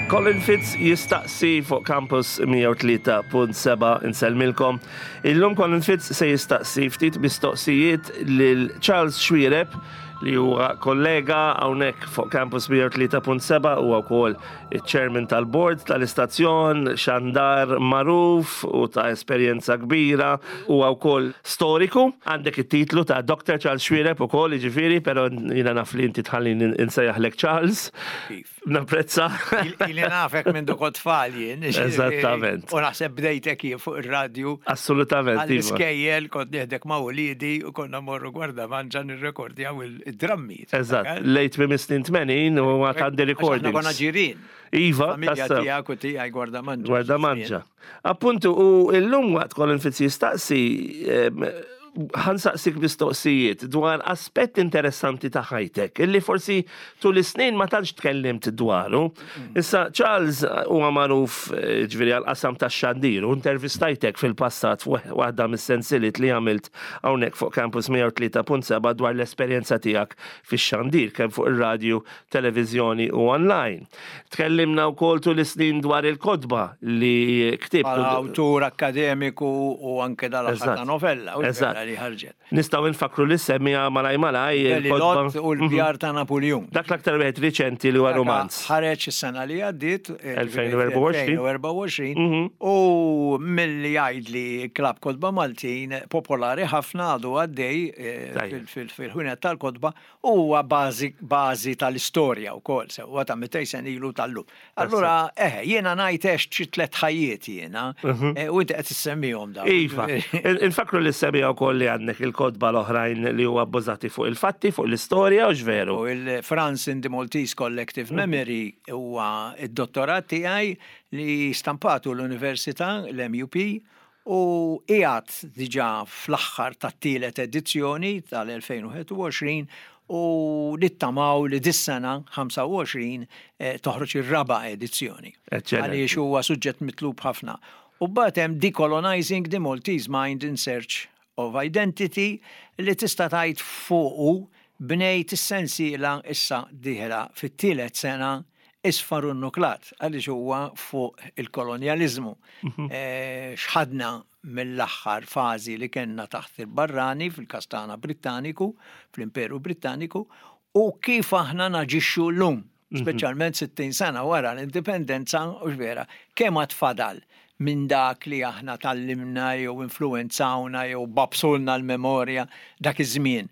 Colin Fitz jistaqsi fuq Campus 103.7 insellmilkom. Illum Colin Fitz se jistaqsi ftit mistoqsijiet lil Charles Xuereb li huwa kollega hawnhekk fuq Campus 103.7 huwa wkoll iċ-chairman tal-board tal-istazzjon, xandar magħruf u ta' esperjenza kbira, huwa wkoll storiku. Għandek it-titlu ta' Dr. Charles Xuereb ukoll, jiġifieri, però jiena naf li inti tħallini nsejjaħlek Charles. Kif? Napprezza. Ili nafek minn dukot tfal jien. Eżattament. U naħseb bdejtek jien fuq ir-radju. Assolutament. Iva. Għall-iskejjel kont nieħdek ma' uliedi u konna morru Gwardamanġa nirrekordjaw id-drammi. Eżatt, lejt minn snin 80 u għad għandi recordings. Konna ġirien. Iva, Familja tiegħek u tiegħi Gwardamanġa. Gwardamanġa. Appuntu, u illum waqt Colin Fitz jistaqsi, ħansaqsik mistoqsijiet dwar aspett interessanti ta' ħajtek, illi forsi tul is-snin ma tantx tkellimt dwaru. Issa Charles huwa magħruf eh, ġifieri għal-qasam tax-xandir u intervistajtek fil-passat waħda mis-sensiliet li għamilt hawnhekk fuq Campus 103.7 dwar l-esperjenza tiegħek fix-xandir kemm fuq ir-radju, televiżjoni u online. Tkellimna wkoll tul is-snin dwar il-kotba li ktibt. Bħala awtur akkademiku u anke dal-aħħar ta' novella u Eżatt. li ħarġet. Nistgħu nfakkru li semmija malaj malaj il-kotba. Mhm. U l-bjar ta' Napoleon. Dak l-aktar wieħed riċenti li huwa romanz. Ħareġ is-sena li għaddiet 2024. 2024 mhm. u milli jgħidli Klab Kotba Maltin popolari ħafna għadu għaddej eh, fil-ħwienet tal-kotba U huwa bażi bażi tal-istorja wkoll, sewwa ta' 200 sena ilu tal-lum. Allura, eħe, jiena ngħid għext xi tlett ħajjiet jiena, eh, u inti qed issemmihom dawn. Iva, infakru li semmija wkoll li għandek il-kotba l-oħrajn li huwa bbażati fuq il-fatti, fuq l-istorja, u veru. U il-France in the Maltese Collective Memory huwa id-dottorat tiegħi li stampatu l-Università, l-MUP, u qiegħed diġà fl-aħħar tat-tielet edizzjoni tal-2021 u nittamaw li dis-sena 25 toħroġ ir-raba' edizzjoni. Għaliex huwa suġġett mitlub ħafna. U mbagħad hemm Decolonizing the Maltese Mind in Search of Identity li tista' tgħid fuqu bnejt is-sensiela issa dieħla fit-tielet sena isfar u nnuklat għaliex huwa fuq il-kolonjaliżmu. X'ħadna mill-aħħar fażi li kellna taħt il-barrani, fil-każ tagħna Brittaniku, fl-Imperu Brittaniku, u kif aħna naġixxu llum, speċjalment 60 sena wara l-indipendenza, hux vera, kemm għad fadal minn dak li aħna tgħallimna jew influwenzawna jew babsulna l-memorja dak iż-żmien.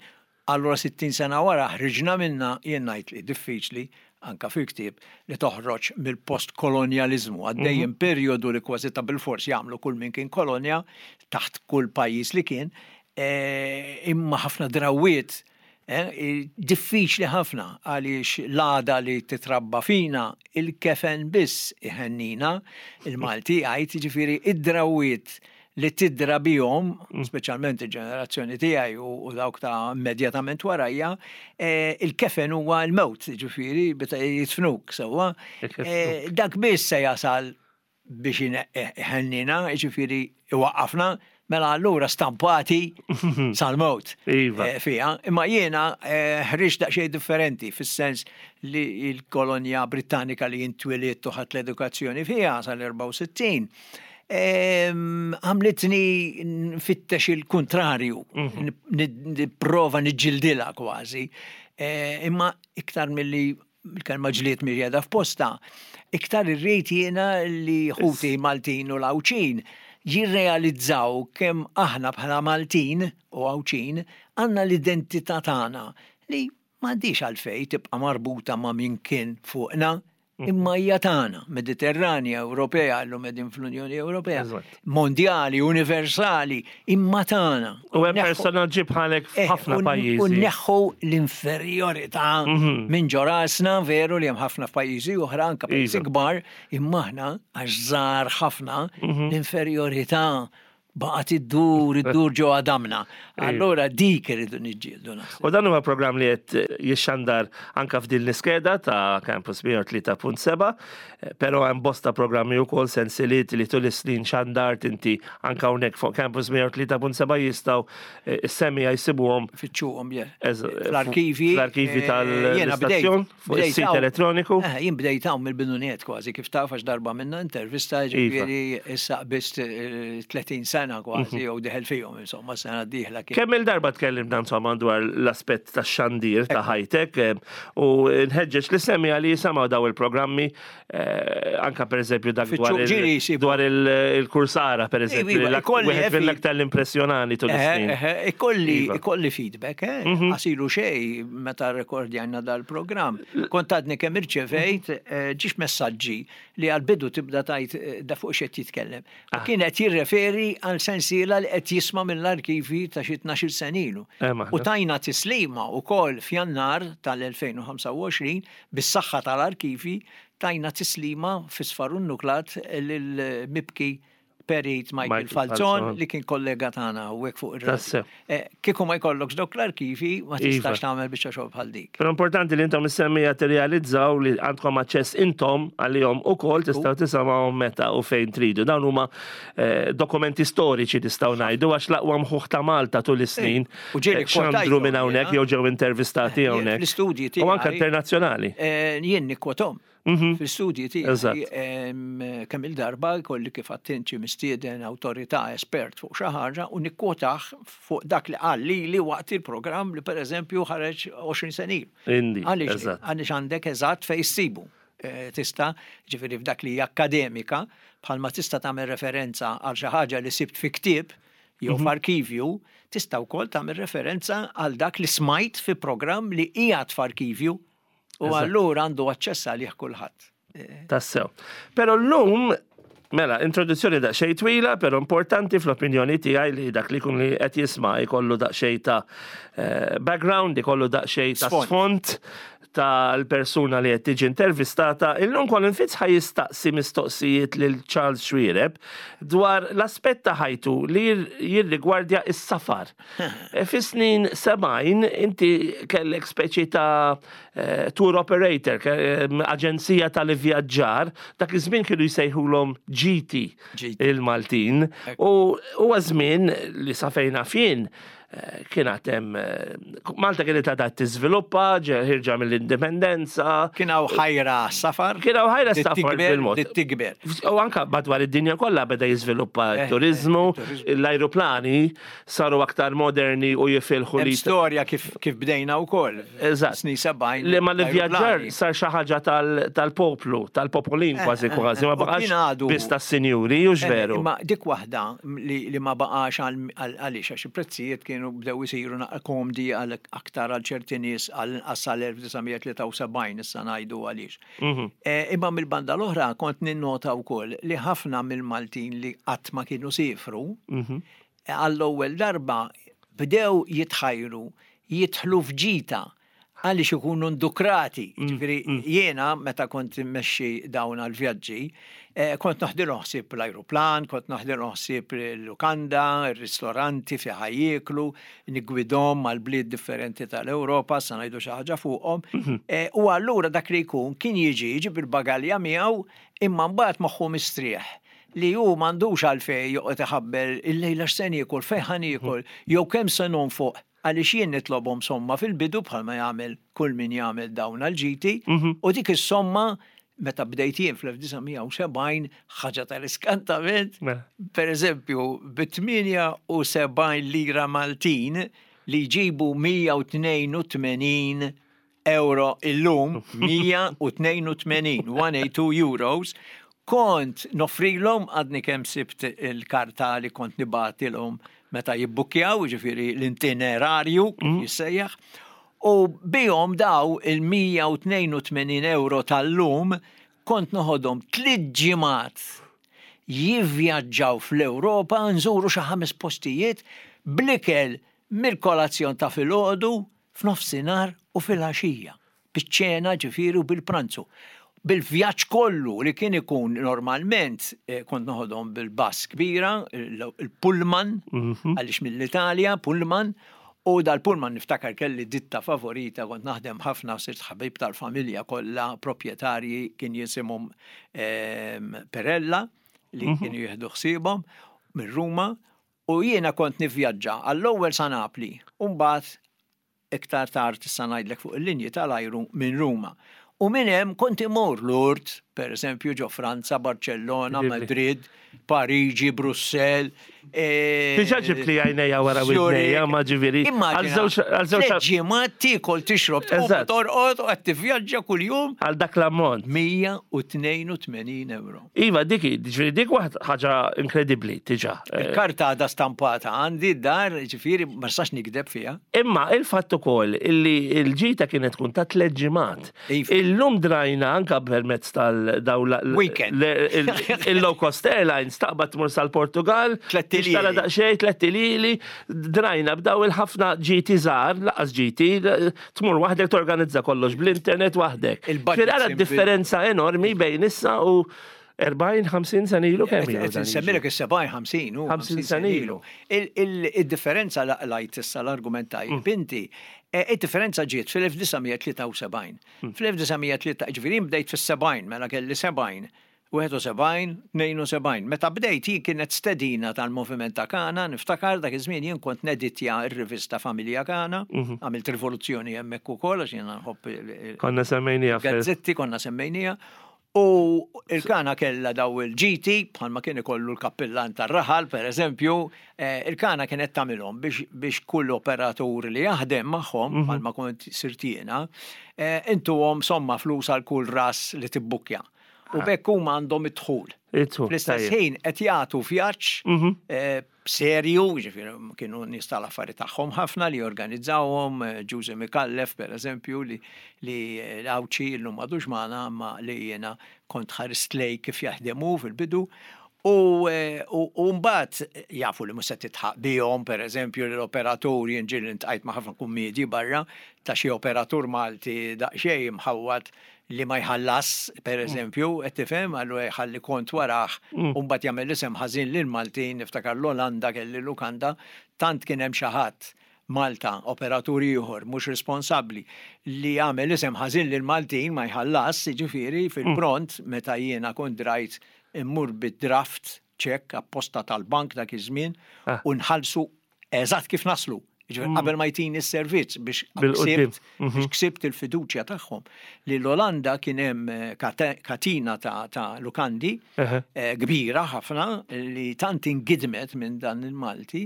Allura 60 sena wara ħriġna minnha, jien ngħid li diffiċli, anke fil-ktieb, li toħroġ mill-postkolonjaliżmu. Għaddejjin perjodu li kważi ta' bilfors jagħmlu kull min kien kolonja, taħt kull pajjiż li kien, imma ħafna drawwiet diffiċli ħafna għaliex l-għada li titrabba fina il-kefen biss iħennina, il-Malti jgħid, jiġifieri id-drawwiet li tidra bihom, speċjalment il-ġenerazzjoni tiegħi u dawk ta' immedjatament warajja, eh, il-kefen huwa l-mewt, ġifieri, meta jitfnuk sewwa. Eh, dak biss se jasal biex iħennina, ġifieri iwaqqafna, mela allura stampati sal-mewt iva. eh, fiha. Imma jiena ħriġt daqsxejn differenti fis-sens li l-kolonja Brittanika li jintwiliet u ħadt l-edukazzjoni fiha sal-64 Għamlitni nfittex il-kuntrarju, mhm. nipprova niġġildilha kważi. E, imma iktar milli il-kelma ġlied mhix qiegħda f'posta, iktar irrid jiena li ħuti Maltin u l-Għawdxin jirrealizzaw kemm aħna bħala Maltin u Għawdxin għandna l-identità tagħna li m'għandix għalfejn tibqa' marbuta ma' min kien fuqna, imma hija tagħna, Mediterranja, Ewropea, llum qegħdin fl-Unjoni Ewropea, mondjali, universali, imma tagħna. U hemm personaġġi bħalek eh, f'ħafna pajjiżi. U neħħu l-inferjorità mhm. minn ġo rasna, veru li hemm ħafna f'pajjiżi oħra, anke pajjiżi iva. kbar, imma aħna għax żgħar ħafna mhm. l-inferjorità. Baqgħet iddur, iddur ġo għadamna. Allura dik irridu niġġieldu naħseb. U dan huwa programm li qed jixxandar anka f'din l-iskeda ta' Campus 103.7, però hemm bosta programmi wkoll sensiliet li tul is-snin xandart inti anka hawnhekk fuq Campus 103.7 jistgħu is-semmiegħa jsibuhom. Fittxuhom, fl-arkivi. Fl-arkivi eh, tal-istazzjon, fuq is-sit elettroniku. Eh, jien bdejt hawn mill-bidunet kważi kif taf għax darba minna intervista iva. ġifieri issa qbist 30 eh, sena kważi mhm. jew deħel fihom insomma sena d-dieħla. Kemm il-darba tkellimna insomma dwar l-aspett tax-xandir ta' high-tech u nħeġġeġ li semmiegħa li jisimgħu daw il-programmi Eh, anka per eżempju dak dwar il-kursara per eżempju, iva, wieħed mill-aktar l-impressjonani tul is-snin. Eh, eh, ikolli ikolli feedback, mhm. għasilu xej meta rekordjajna dal-programm. Kont għadni kemm irċevejt ġiex messaġġi li għal-bidu tibda tajt da fuq xed jitkellem. Ah. Kien qed jirreferi għal sensiela li qed jisma' mill-arkivi ta' xi 12 senilu. U tajna tislima wkoll f'Jannar tal-2025 Bis-saħħa tal-arkivi tajna tislima fi Sfar u Nuklat lill-mibki Perit Michael Falzon li kien kollega tagħna hawnhekk fuq ir-radio. Eh, kieku ma jkollokx dawk l-arkivi ma iva. tistax tagħmel biċċa xogħol bħal dik. Però importanti li intom is-semmija tirrealizzaw li għandkom aċċess intom għalihom ukoll tistgħu tisimgħuhom meta u fejn tridu. Dawn huma eh, dokumenti storiċi nistgħu ngħidu għax l-aqwa mħuħ ta' Malta tul is-snin. U ġieli xandru minn hawnhekk jew ġew intervistati hawnhekk. Fl-istudji tiegħi. U anke internazzjonali. Eh, jien nikkwotom. Mhm. Fl-istudji tiegħi kemm il-darba jkolli kif attinċi mistieden awtorità espert fuq xi ħaġa u nikkwotah fuq dak li qal lili waqt il-programm li pereżempju ħareġ 20 sena ilu. Għaliex għaliex għandek eżatt fejn issibu. Eh, tista' ġifieri f'dak li hija akkademika, bħalma tista' tagħmel referenza għal xi ħaġa li sibt fi ktieb, jew mhm. f'arkivju, tista' wkoll tagħmel referenza għal dak li smajt fi programm li qiegħed f'arkivju u allura għandu aċċess għalih kulħadd. Eh. Tassew. Però llum Mela, introduzzjoni daqsxejn twila, però importanti fl-opinjoni tiegħi li dak li kun li qed jisma' jkollu daqsxejn ta' eh, background, ikollu daqsxejn ta' sfond tal-persuna li qed tiġi intervistata, illum Colin Fitz ħa jistaqsi mistoqsijiet lil Charles Xuereb dwar l-aspett ta' ħajtu li jirrigwardja s-safar. E, fis-snin 70 inti kellek speċi ta' eh, tour operator, eh, aġenzija tal-ivvjaġġar, dak iż-żmien kienu jsejħulhom GT il-Maltin. U huwa żmien li sa fejn naf jien Kien għad hemm Malta kienet għadha tiżviluppa, ħirġa mill-indipendenza. Kien hawn ħajra safar. Kien hawn ħajra safar bil-mod. Tikber. U anka madwar id-dinja kollha beda jiżviluppa eh, t-turizmu, eh, l-ajruplani saru aktar moderni u jifilħu li. Storja kif kif bdejna wkoll. Eżatt. Snin 70. Li ma l-vjaġġar sar xi ħaġa tal-poplu, tal-popolin eh, kważi kważi, ma baqax biss tas-sinjuri, u veru. Ma dik waħda li ma baqax għaliex għax il-prezzijiet kienu bdew isiru naqra komdi għal aktar għal ċerti nies għal inqas sal-1973 issa ngħidu għaliex. Mhm. Eh, imma mill-banda l-oħra kont ninnota wkoll li ħafna mill-Maltin li qatt ma kienu sifru, mhm. għall-ewwel darba bdew jitħajru jidħlu f'ġita għaliex ikunu ndukrati. Mm, Ġifieri mm. jiena meta kont immexxi dawn għall-vjaġġi, eh, kont noħdilhom ħsieb l-ajruplan, kont noħdilhom ħsieb il-lukanda, ir-ristoranti fi ħajjiklu, nigwidhom għal bliet differenti tal-Ewropa, sa ngħidu xi ħaġa fuqhom. Mhm. Eh, u allura dak li jkun kien jiġi jiġi bil-bagalja miegħu imma mbagħad moħħu mistrieħ li hu m'għandux għalfejn joqgħod iħabbel illejla x'se niekol, fejn ħa niekol, jew kemm se nonfoq Għaliex jien nitlobhom somma fil-bidu bħalma jagħmel kull min jagħmel dawn għall-ġiti, u dik is-somma meta bdejt jien fl-1970 ħaġa tal-iskantament, per eżempju, bi 78 lira Maltin li jġibu 182 euro illum, 182, 182 euros, kont noffrilhom għadni kemm sibt il-karta li kont nibgħatilhom meta jibbukkjaw, ġifieri l-itinerarju kif mm. jissejjaħ, u bihom daw il-182 euro tal-lum kont noħodhom tliet ġimgħat jivvjaġġaw fl-Ewropa nżuru xi ħames postijiet bl-ikel mill-kolazzjon ta' filgħodu f'nofsinhar u filgħaxija, biċ-ċena ġifieri u bil-pranzu. Bil-vjaġġ kollu li kien ikun normalment kont noħodhom bil-bus kbira, il-pullman, għaliex mill-Italja, pullman, u dal-pullman niftakar kelli ditta favorita, kont naħdem ħafna u sirt ħabib tal-familja kollha, proprjetarji kien jisimhom Perella li kienu jieħdu ħsiebhom minn Ruma u jiena kont nivvjaġġa għall-ewwel sa Napli u mbagħad iktar tard issa ngħidlek fuq il-linji tal-ajru minn Ruma. U minn hemm kont imur Lourdes, per eżempju, ġo Franza, Barcellona, Madrid, Pariġi, Brussell. E, Diġà ġibt li għajnejja wara widnejja, ma ġifieri. Immaġina. Għal ġimgħat tiekol tixrob tqum torqod u qed tivvjaġġa kuljum. Għal dak l-ammont. 182 euro. Iva, dik, ġifieri dik waħd ħaġa inkredibbli, diġà. Il-karta għadha stampata għandi d-dar, ġifieri ma nistax nikdeb fiha. Imma il-fatt ukoll illi l-ġita kienet tkun ta' tliet ġimgħat. Iva. Illum drajna anka permezz tal-daw Weekend. il-low cost airlines taqbad tmur sal-Portugal, Tlett iljieli. tixtara daqsxejn, tlett iljieli, drajna b'daw il-ħafna ġiti żgħar, laqas ġiti, tmur waħdek torganizza kollox bl-internet waħdek. Il-budget Ara simple. differenza enormi bejn issa u 40-50 sena ilu kemm ilu. Qed insemmilek is-70 50 u 50 sena ilu. Il-differenza laqlajt issa l-argument tajjeb inti, id-differenza ġiet fil-1973. Fl-1903, ġifieri bdejt fis-70, mela kelli 70, 71, 72. Meta bdejt jien kienet stedina tal-Moviment ta' Kana, niftakar dak iż-żmien jien kont neditja r-rivista Familja Kana, għamilt rivoluzzjoni hemmhekk ukoll għax jiena nħobb Konna semmejnija fil- gazzetti konna semmejnija. U il-Kana kella daw il-ġiti, bħalma kien ikollu l-kappillan tar-raħal, per eżempju, il-Kana kienet tagħmilhom biex kull operatur li jaħdem magħhom, bħalma kont sirt jiena, intuhom somma flus għal kull ras li tibbukkja. U b'hekk huma għandhom id-dħul. Id-dħul, Fl-istess tajjeb. ħin qed jagħtu vjaġġ serju, ġifieri kienu nies tal-affari tagħhom ħafna li jorganizzawhom, Ġużi Mikallef per eżempju li l-Għawdxi llum m'għadux magħna imma li jiena kont ħarist lej kif jaħdem hu fil-bidu. U mbagħad jafu li mhux se titħaq bihom, per eżempju, li l-operatur jien ġieli ntqajt ma' ħafna kummiedji barra ta' xi operatur Malti daqsxejn imħawwad li ma jħallas, per eżempju, qed tifhem, allura jħalli kont warah u mbagħad jagħmel isem ħażin lil Maltin, niftakar l-Olanda kelli lukanda, tant kien hemm xi ħadd Malta, operatur ieħor mhux responsabbli li jagħmel isem ħażin lil Maltin ma jħallas, jiġifieri fil-pront meta jiena kont drajt immur bid-draft ċekk apposta tal-bank dak iż-żmien u nħallsu eżatt kif naslu. Jiġifieri qabel ma jtini s-servizz biex Bil-quddiem. ksibt biex ksibt il-fiduċja tagħhom. Li l-Olanda kien hemm katina ta' lukandi kbira ħafna li tant ingidmet minn dan il-Malti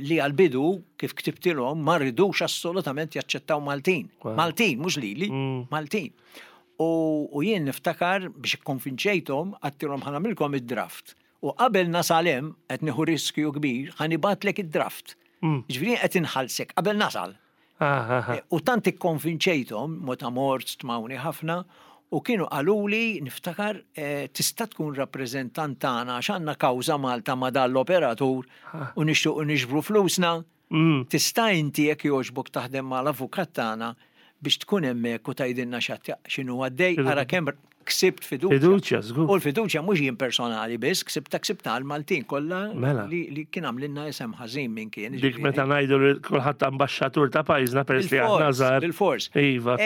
li għal-bidu kif ktibtilhom ma ridux assolutament jaċċettaw Maltin. Maltin, mhux lili, Maltin. U jien niftakar biex ikkonvinċejthom għedtilhom ħa nagħmilkom id-draft. U qabel nasal hemm qed nieħu riskju kbir ħa nibgħatlek id-draft. Ġifieri qed inħallsek qabel nasal. U tant ikkonvinċejthom, meta mort stmawni ħafna, u kienu qaluli niftakar tista' tkun rappreżentant tagħna għax għandna kawża Malta ma' dan l-operatur u nixtiequ niġbru flusna. Tista' inti jekk jogħġbok taħdem mal-avukat tagħna biex tkun hemmhekk u tgħidilna x'inhu għaddej, ara kemm ksibt fiduċja. Fiduċja, żgur. U l-fiduċja mhux jien personali biss, ksibta ksibta għal-Maltin kollha Mela. li kien għamlilna isem ħażin minn kien. Dik meta ngħidu li kulħadd ambaxxatur ta' pajjiżna peress li aħna żgħar. Bil-fors. Iva.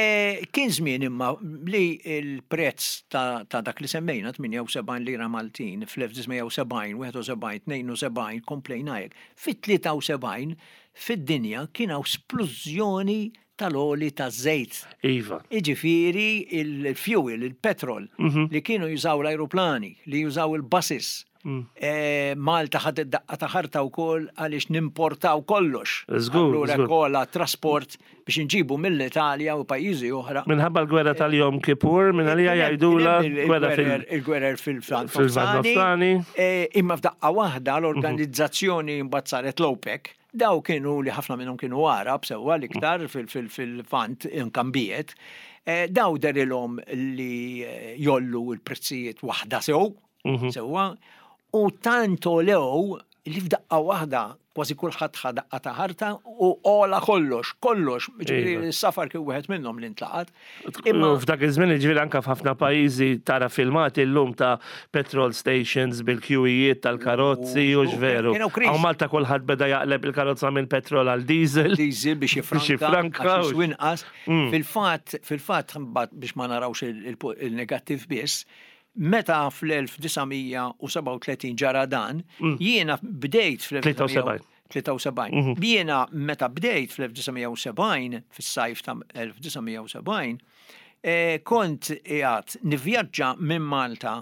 Kien żmien imma li l-prezz ta' dak li semmejna 78 lira Maltin fl-1970, 71, 72 komplejna hekk. Fit-73 fid-dinja kien hawn splużjoni tal-oli ta' żejt. Iva. Iġifieri il-fuel, il-petrol, li kienu jużaw l-aeroplani, li jużaw il-buses. Malta ħadet daqqa ta' ħarta wkoll għaliex nimportaw kollox. Allura kolla trasport biex inġibu mill-Italja u pajjiżi oħra. Minħabba l-gwerra tal-Jom Kippur, minn għalija jgħidula gwerra fil- Il-gwerer fil-Lvant fil-Lvant Nofsani. Imma f'daqqa waħda l-organizzazzjoni mbagħad saret l-OPEC. Daw kienu li ħafna minnhom kienu Arab sewwa l-iktar fil-Lvant inkambijiet. Daw derilhom li jollu l-prezzijiet waħda sew, sewwa, u tant olew li f'daqqa waħda kważi kulħadd ħa daqqa ta' ħarta u għola kollox, kollox, ġifieri Iva. s-safar kien wieħed minnhom li ntlaqat. Imma f'dak iż-żmien ġifieri anke f'ħafna pajjiżi tara filmati llum ta' petrol stations bil-kjuwijiet tal-karozzi u x'veru. Kienu kriżi. Hawn Malta kulħadd beda jaqleb il-karozza minn petrol għal diesel. Diesel biex Biex jifranka, jifranka għax u- jiswi inqas. Fil-fatt, fil-fatt, mbagħad biex ma narawx il-negattiv biss, meta fl-1937 ġara dan, jiena bdejt 73. fl-1973. Jiena meta bdejt fl-1970, fis-sajf ta' 1970, eh, kont qiegħed nivvjaġġa minn Malta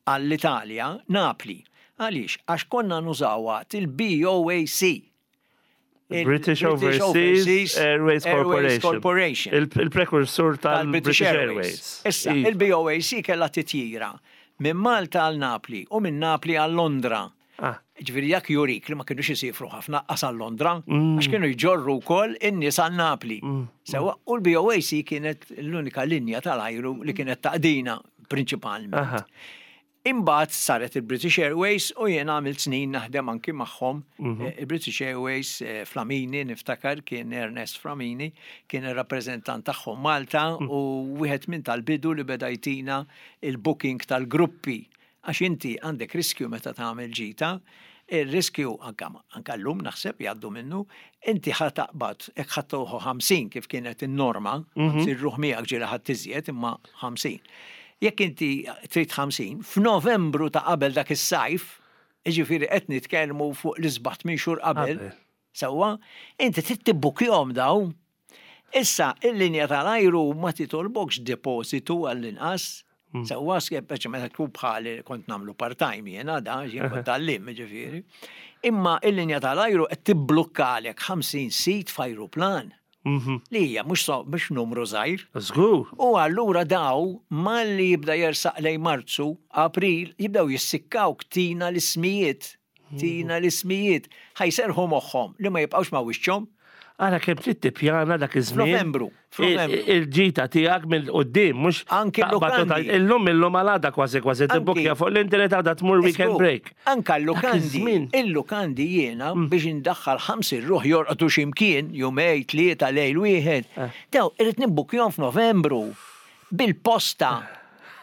għall-Italja, Napli. Għaliex? Għax konna nużawha il-BOAC. British Overseas Airways Corporation. Corporation. Il-prekursur tal-British Airways. Issa, Iva. il-BOAC kella titjira minn Malta għal Napli u minn Napli għal Londra. Ah. Ġifieri jak jurik li ma kienux jisifru ħafna qas għal Londra, għax kienu jġorru wkoll in-nies għal Napli. Sewa, u l-BOAC kienet l-unika linja tal-ajru li kienet taqdina prinċipalment. Aha. Imbagħad saret il-British Airways u jien għamilt snin naħdem anki magħhom. Eh, Il-British Airways eh, Flamini niftakar kien Ernest Flamini kien ir-rappreżentant tagħhom Malta u wieħed minn tal-bidu li beda jtina il-booking tal-gruppi. Għax inti għandek riskju meta tagħmel ġita, il-riskju anka, anka llum naħseb jgħaddu minnu, inti ħa taqbad jekk ħa tieħu 50 kif kienet in-norma, 50 ruħ miegħek ġieli ħadd iżjed imma 50. Jekk inti trid 50, f'Novembru ta' qabel dak is-sajf, jiġifieri qed nitkellmu fuq l-isbaħ minn xhur qabel, Qabel. sewwa, inti trid tibbukjhom daw. Issa, il-linja tal-ajru ma titolbokx depositu għall-inqas. Sewwa, speċi meta tkun bħali kont nagħmlu part-time jiena da, jien kont għallim, ġifieri. Imma il-linja tal-ajru qed tibblukkalek 50 seat f'ajruplan. Li hija mhux so- mhux numru żgħir. Żgur. U allura daw malli jibda jersaq lej Marzu, April, jibdaw jissikkaw tina l-ismijiet. Tina l-ismijiet. Ħa jserrħu moħħhom li ma jibqawx ma wiċċhom. Ara kemm trid tippjana dak iż-żmien. F'Novembru, f'Novembru. Il-ġita tiegħek mill-qudiem mhux Anki taqbad u l-lukandi. tgħid, Illum illum għal għada kważi kważi Anki- tibbukkja fuq l-internet għada tmur weekend Żgur. break. Anka l-lukandi, iż-żmien. il-lukandi jiena biex indaħħal 50 ruħ jorqdu ximkien, jumej, tlieta, lejl wieħed. Daw, irrid nibbukjhom f'Novembru bil-posta,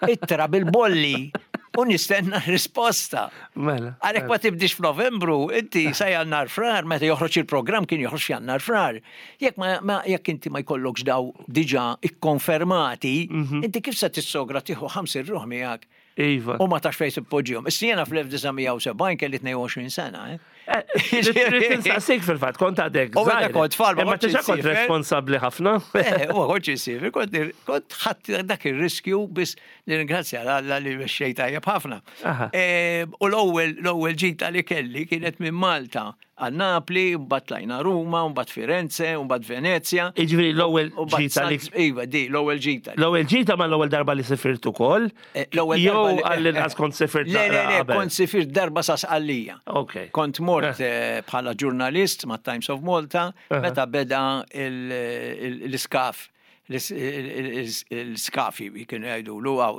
ittra bil-bolli u nistenna risposta. Mela. Għalek ma tibdix f'Novembru, inti sa jannar frar, meta joħroġ il-programm kien joħroġ jannar frar. Jekk ma, ma jekk inti ma jkollokx daw diġà ikkonfermati, inti kif se tissogra tieħu 50 ruħ miegħek Iva. u ma tax fejn tippoġġihom. Issa jiena fl-1970 kelli 22 sena, eh? Trid tinsaqsik fil-fatt, kont għadek. U meta żgħir. kont tfal, ma Imma kontx tiġa kont insiefer. responsabbli ħafna. Eh, u kont insiefer, kont kont ħadd dak ir-riskju biss nirringrazzja Alla li mexxej tajjeb ħafna. Aha. Eh, U l-ewwel l-ewwel ġita li kelli kienet minn Malta għal Napli, mbagħad tlajna Ruma, mbagħad Firenze, mbagħad Venezja. Jiġifieri l-ewwel u mbagħad ġita li Salz- Iva, di, l-ewwel ġita. L-ewwel ġita ma l-ewwel darba li sifirt ukoll. Eh, L-ewwel Jew darba li- għall-inqas kont sifirt Le, le, naqra le, qabel. kont sifirt darba sa Sqallija. Ok. Kont mort eh, bħala ġurnalist ma' Times of Malta meta beda il- il- l-iskaf l-iskafi kienu jgħidu għaw,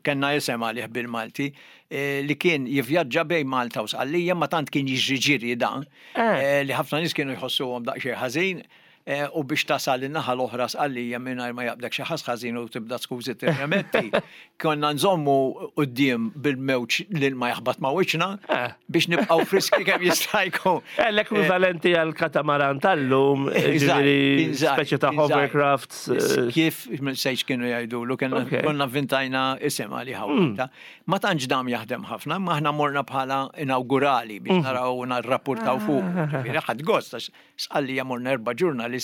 kellna jisem għalih bil-Malti, eh, li kien jivvjaġġa bejn Malta u Sqallija, ma tant kien jiġri ġiri dan, Eh. eh, li ħafna nies kienu jħossuhom daqsxejn ħażin, eh, u biex tasal in-naħa l-oħra Sqallija mingħajr ma jaqbdek xi ħass ħażin u tibda skużi tirremetti. Konna nżommu quddiem bil-mewġ lil ma jaħbat ma' wiċċna Eh. biex nibqgħu friski kemm jista' jkun. Eh, L-ekwivalenti għal katamaran tal-lum, Eżatt, ġifieri eżatt, speċi ta' eżatt. hovercrafts. eh, Kif sejx kienu jgħidulu, konna Ok. konna avvintajna isem għalih mm. Ma tantx dam jaħdem ħafna, ma aħna morna bħala inaugurali biex naraw narrapportaw fuq. Ġifieri ħadd gost għax Sqallija morna erba' ġurnalisti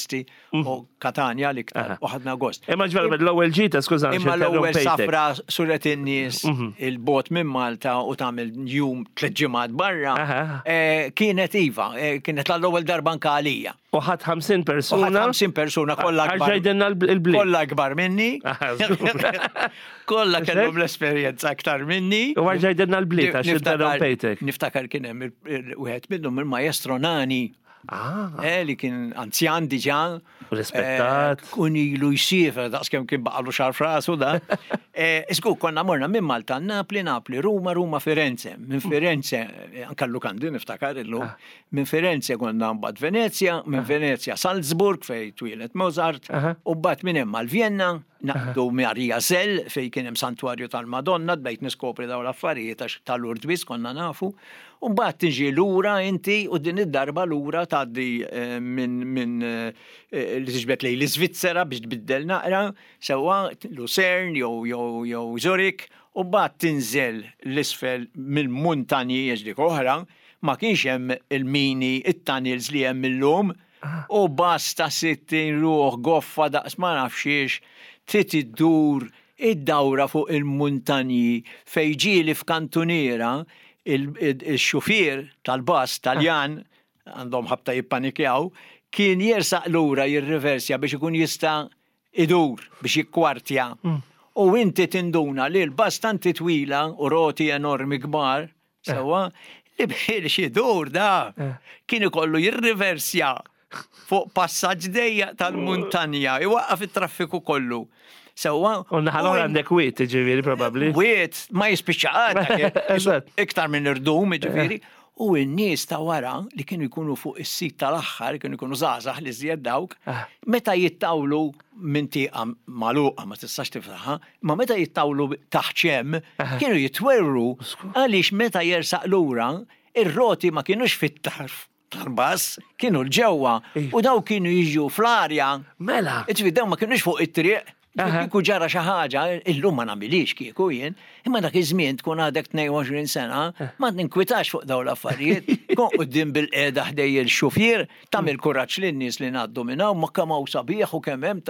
u Katanja l-iktar u ħadna gost. Imma ġvera l-ewwel ġita, skuża, Imma l-ewwel interrompejtek. safra suret in-nies il-bot minn Malta u tagħmel jum tliet ġimgħat barra. Aha. eh, Kienet iva, eh, kienet l-ewwel darba anke għalija. U ħadd 50 U ħadd persuna. 50 persuna kollha akbar. Għarġajdinna l-bliet. Kollha akbar minni. Aha, żgur. Kollha kellhom l-esperjenza aktar minni. U għarġajdinna l-bliet għax Niftakar- interrompejtek. Niftakar kien hemm il- il- wieħed minnhom il-maestro Nani. Ah. Eh, li kien anzjan diġà. Rispettat. Eh, kun ilu jsiefer daqskemm kien baqalu xar frasu da. Eh, Isku, konna morna minn Malta, Napli, Napli, Ruma, Ruma, Firenze. Minn Firenze, anka l-lukandi niftakar illum. Ah. Minn Firenze konna mbagħad Venezia, minn ah. Venezia Salzburg fej twieled Mozart, u mbagħad minn hemm għal Vienna, naqdu Maria Zell fej kien hemm santwarju tal-Madonna, bdejt niskopri dawn l-affarijiet għax tal-Lourdes biss konna nafu. U mbagħad tiġi lura inti u din id-darba lura tgħaddi eh, minn min, eh, li tiġbed lejn l-Iżvizzera biex tbiddel naqra, sewwa Lucerne jew jew jew Zurich, u mbagħad tinżel l-isfel mill-muntanji għax dik oħra, ma kienx hemm il-mini, it-tunnels li hemm illum, u basta 60 ruħ goffa daqs ma nafx xiex, trid iddur Id-dawra fuq il-muntanji fejn ġieli f'kantuniera il-xufier tal-bus Taljan, għandhom ħabta jippanikjaw, kien jersaq lura jirriversja biex ikun jista' idur biex jikkwartja. U inti tinduna li l-bus tant hi twila u roti enormi kbar, Sewwa, li biex idur da kien ikollu jirriversja fuq passaġġ dejjaq tal-muntanja, iwaqqaf it-traffiku kollu. Sewwa. U naħa l-oħra għandek wiet, ġifieri probabbli. Wiet ma jispiċċa qatt. Iktar minn irdum, ġifieri. U n-nies ta' wara li kienu jkunu fuq is-sit tal-aħħar, kienu jkunu żgħażagħ li żjed dawk, ah. meta jittawlu minn tieqa magħluqa ma tistax tiftaħha, Ma meta jittawlu taħt xem, kienu jitwerwru għaliex meta jersaq lura, ir-roti ma kinux fit-tarf tal-bass, kienu l-ġewwa u daw kienu jiġu fl-arja. Mela. Ġifieri daw ma kinux fuq it-triq. Kieku ġara xi ħaġa, illum ma nagħmilix kieku jien, imma dak iż-żmien tkun għadek 22 sena, ma ninkwitax fuq dawn l-affarijiet. Kon quddiem bil-qiegħda ħdej il-xufier, tagħmel kuraġġ lin-nies li ngħaddu minn hawn, ma kemm hawn sabiħ u kemm hemm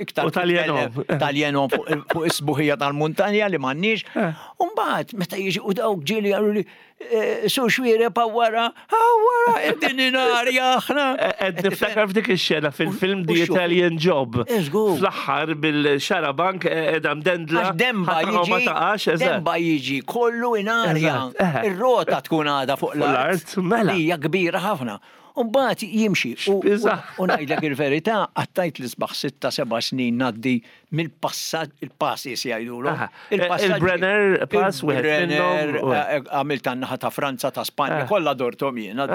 iktar U taljenom. Taljenom fuq is-sbuħija tal-muntanja li m'għandniex. Eh. U mbagħad meta jiġi u dawk ġieli qalu li eh, su xwiereb wara, wara qegħdin inarja aħna. Eh, qed niftakar f'dik ix-xena fil-film The Italian Job. Fl-aħħar bil-xarabank qiegħda mdendla. Demba jiġi. Demba jiġi kollu inarja. Ir-rota tkun għadha fuq l-art. Mela. Hija kbira ħafna. U mbagħad jimxi. U ngħidlek il-verità, qattajt l-isbaħ sitta seba' snin ngħaddi mill-passaġġ, il-passes jgħidulhom. Il-Brenner Pass wieħed minnhom. Eh, eh, għamilt tan-naħa ta' Franza, ta' Spanja, eh. kollha dorthom jiena,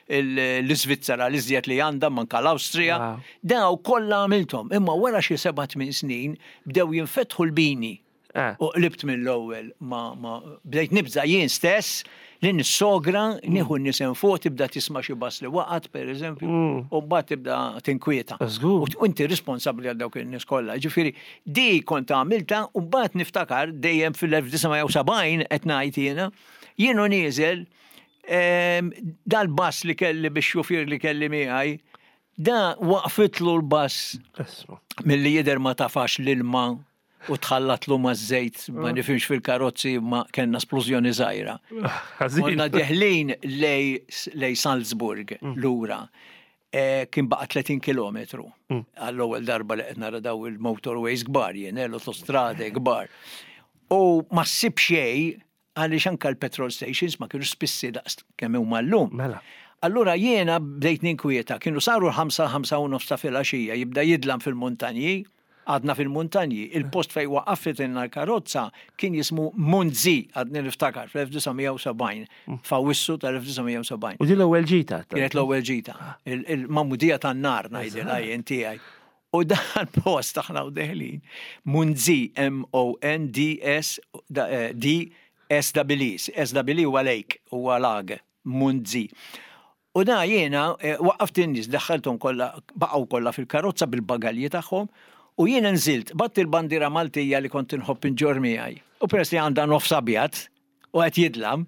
l-Iżvizzera l-iżjed li għandha manka l-Awstrija. Daw kollha għamilthom, imma wara xi seba' tmien snin bdew jinfetħu l-bini. Eh. U qlibt mill-ewwel ma, ma bdejt nibża' jien stess li nissogra mm. nieħu n-nisem fuq tibda tisma' xi bass li waqgħet pereżempju mm. u mbagħad tibda tinkwieta. U inti responsabbli għal dawk in-nies kollha. Ġifieri di kont għamilta u mbagħad niftakar dejjem fil-1970 qed ngħid jiena jien u nieżel ehm, dal-bass li kelli biex xufier li kelli miegħi da waqfitlu l-bass milli jidher ma tafax l-ilma u tħallatlu maż-żejt, ma mm. nifhimx fil-karozzi ma kellna splużjoni żgħira. Konna deħlin lej, lej Salzburg mm. lura. E, kien baqa 30 km mm. għall-ewwel darba li qed nara daw il-motorways kbar jien, eh, l-autostrade kbar. U ma ssib xejn Għaliex anke l-petrol stations ma kienux spissi daqs kemm huma llum. Mela. Allura jiena bdejt ninkwieta, kienu saru l-ħamsa, 5:30 ta' filgħaxija, jibda jidlam fil-muntanji, għadna fil-muntanji, il-post fejn waqafitilna l-karozza kien jismu Munzi, għadni niftakar, fl-1970, f'Awwissu tal-1970. U din l-ewwel ġita? Kienet l-ewwel ġita. Il-magħmudija tan-nar ngħidilha jien tiegħi. U dan post aħna u deħlin, Munzi, M-O-N-D-S, D, S-E-E, S-E-E huwa lake, huwa lag, Munzi. U da jiena eh, waqqaft in-nies, daħħalthom kollha, baqgħu kollha fil-karozza bil-bagalji tagħhom, u jiena nżilt, batt il-bandiera Maltija li kont inħobb inġorr miegħi. U peress li għandha nofs abjad, u qed jidlam,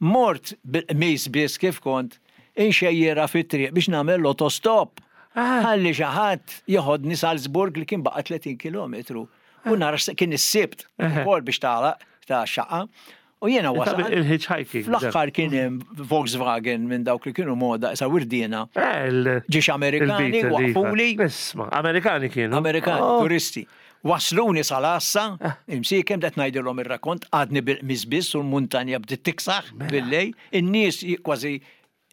mort bil-qmis biss kif kont inxejjirha fit-triq biex nagħmel l-autostop. Ħalli xi ħadd jeħodni Salzburg li kien baqa' 30 kilometru. U nara kien is-Sibt ukoll biex tagħlaq ta' xaqa. U jiena wasal. Il-hitchhiking. Fl-aħħar kien hemm Volkswagen minn dawk li kienu moda isa wirdiena. Eh, Ġiex Amerikani waqfuli. Isma', Amerikani kienu. Amerikani, oh. turisti. Wasluni sal-għassa, imsiekem qed ngħidilhom ir-rakkont, għadni bil-qmis biss u l-muntanja bdiet tiksaħ mela. billej, in-nies kważi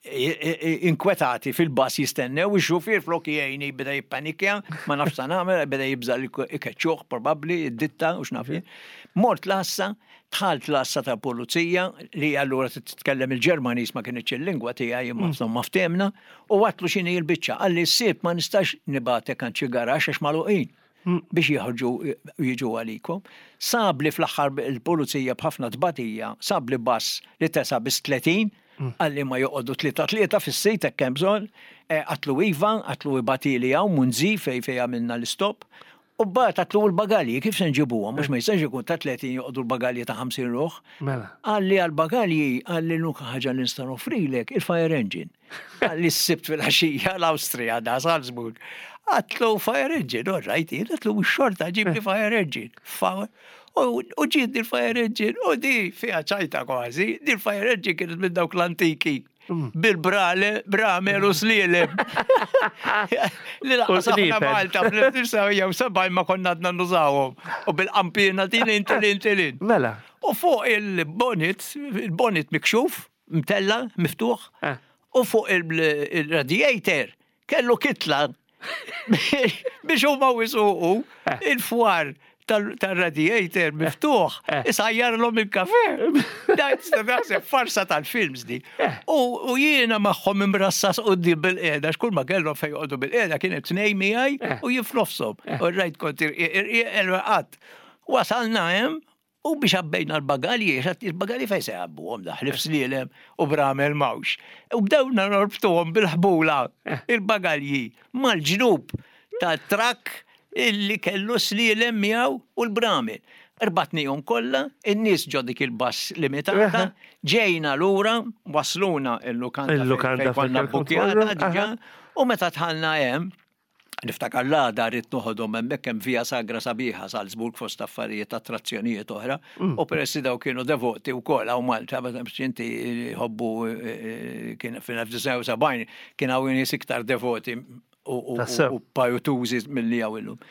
Inkwetati fil-bus jistennew, ix-xufier flok jgħinni beda jippanikja, ma nafx sa nagħmel, beda jibża' li ikeċċuh probabbli, id-ditta u x'naf jien. Mort l-għassa, dħalt l-għassa tal-pulizija li allura titkellem il-Ġermaniż ma kinitx il-lingwa tiegħi imma insomma ftehmna u għedtlu x'inhi l-biċċa. Qalli s-Sibt ma nistax nibgħatek għand xi garaxx għax magħluqin. Biex joħorġu u jiġu għalikom. Sabli fl-aħħar il-pulizija b'ħafna tbatija, sabli bus li tesa' biss 30, qalli ma joqogħdu tlieta tlieta fis-sit hekk hemm bżonn. Għedtlu iva, għedtlu ibgħatili hawn Munzi fejn fejn għamilna l-istop. U mbagħad għedtlu u l-bagalji kif se nġibuhom għax ma jistax ikun ta' 30 joqogħdu l-bagalji ta' 50 ruħ. Mela. Qalli għall-bagalji, qalli l-unika ħaġa li nista' noffrilek il-fire engine. Għalli s-sibt fil-għaxija l-Awstrija da Salzburg. Għatlu fire engine, all right, jien għatlu xorta ġibli fire engine. U ġiet di fire engine, u di fija ċajta kważi, di fire engine kienet minn dawk l-antiki. Mm. Bil-brale, bramel u slielem. Li laqas aħna Malta fl-1970 ma konna għadna nużawhom. U bil-qampina tilin tilin tilin. Mela. U fuq il-bonnet, il-bonnet mikxuf, mtella, miftuħ, eh. u fuq il-radiator kellu kitla biex huma wisuqu eh. il-fwar tal-radiator miftuħ, eh. isajjarlhom il-kafe. Naħseb farsa tal-films di. U jiena magħhom imrassas quddiem bil-qiegħda, x'kull ma kellhom fejn joqogħdu bil-qiegħda kienet tnej miegħi u jien f'nofshom. U rajt kont irqiq qatt. Wasalna hemm U biex għabbejna l-bagalji, għax il-bagalji fejn se jgħabbuhom da ħlief slielem u bramel m'hawnx. U bdewna norbtuhom bil-ħbula il-bagalji mal-ġnub tat-trakk illi kellu slielem miegħu u l-bramel. Rbatnihom kollha, in-nies ġo dik il-bus limitata, ġejna lura, wasluna il-lukanda fejn konna bbukjata diġà, u meta dħalna hemm, Niftakar l-għada ridt noħodhom hemmhekk hemm Via Sagra sabiħa Salzburg fost affarijiet attrazzjonijiet oħra. Mm. U peress li daw kienu devoti wkoll hawn Malta, biex inti jħobbu eh, eh, kien fil-1970 kien hawn nies iktar devoti u pajutużi milli hawn illum.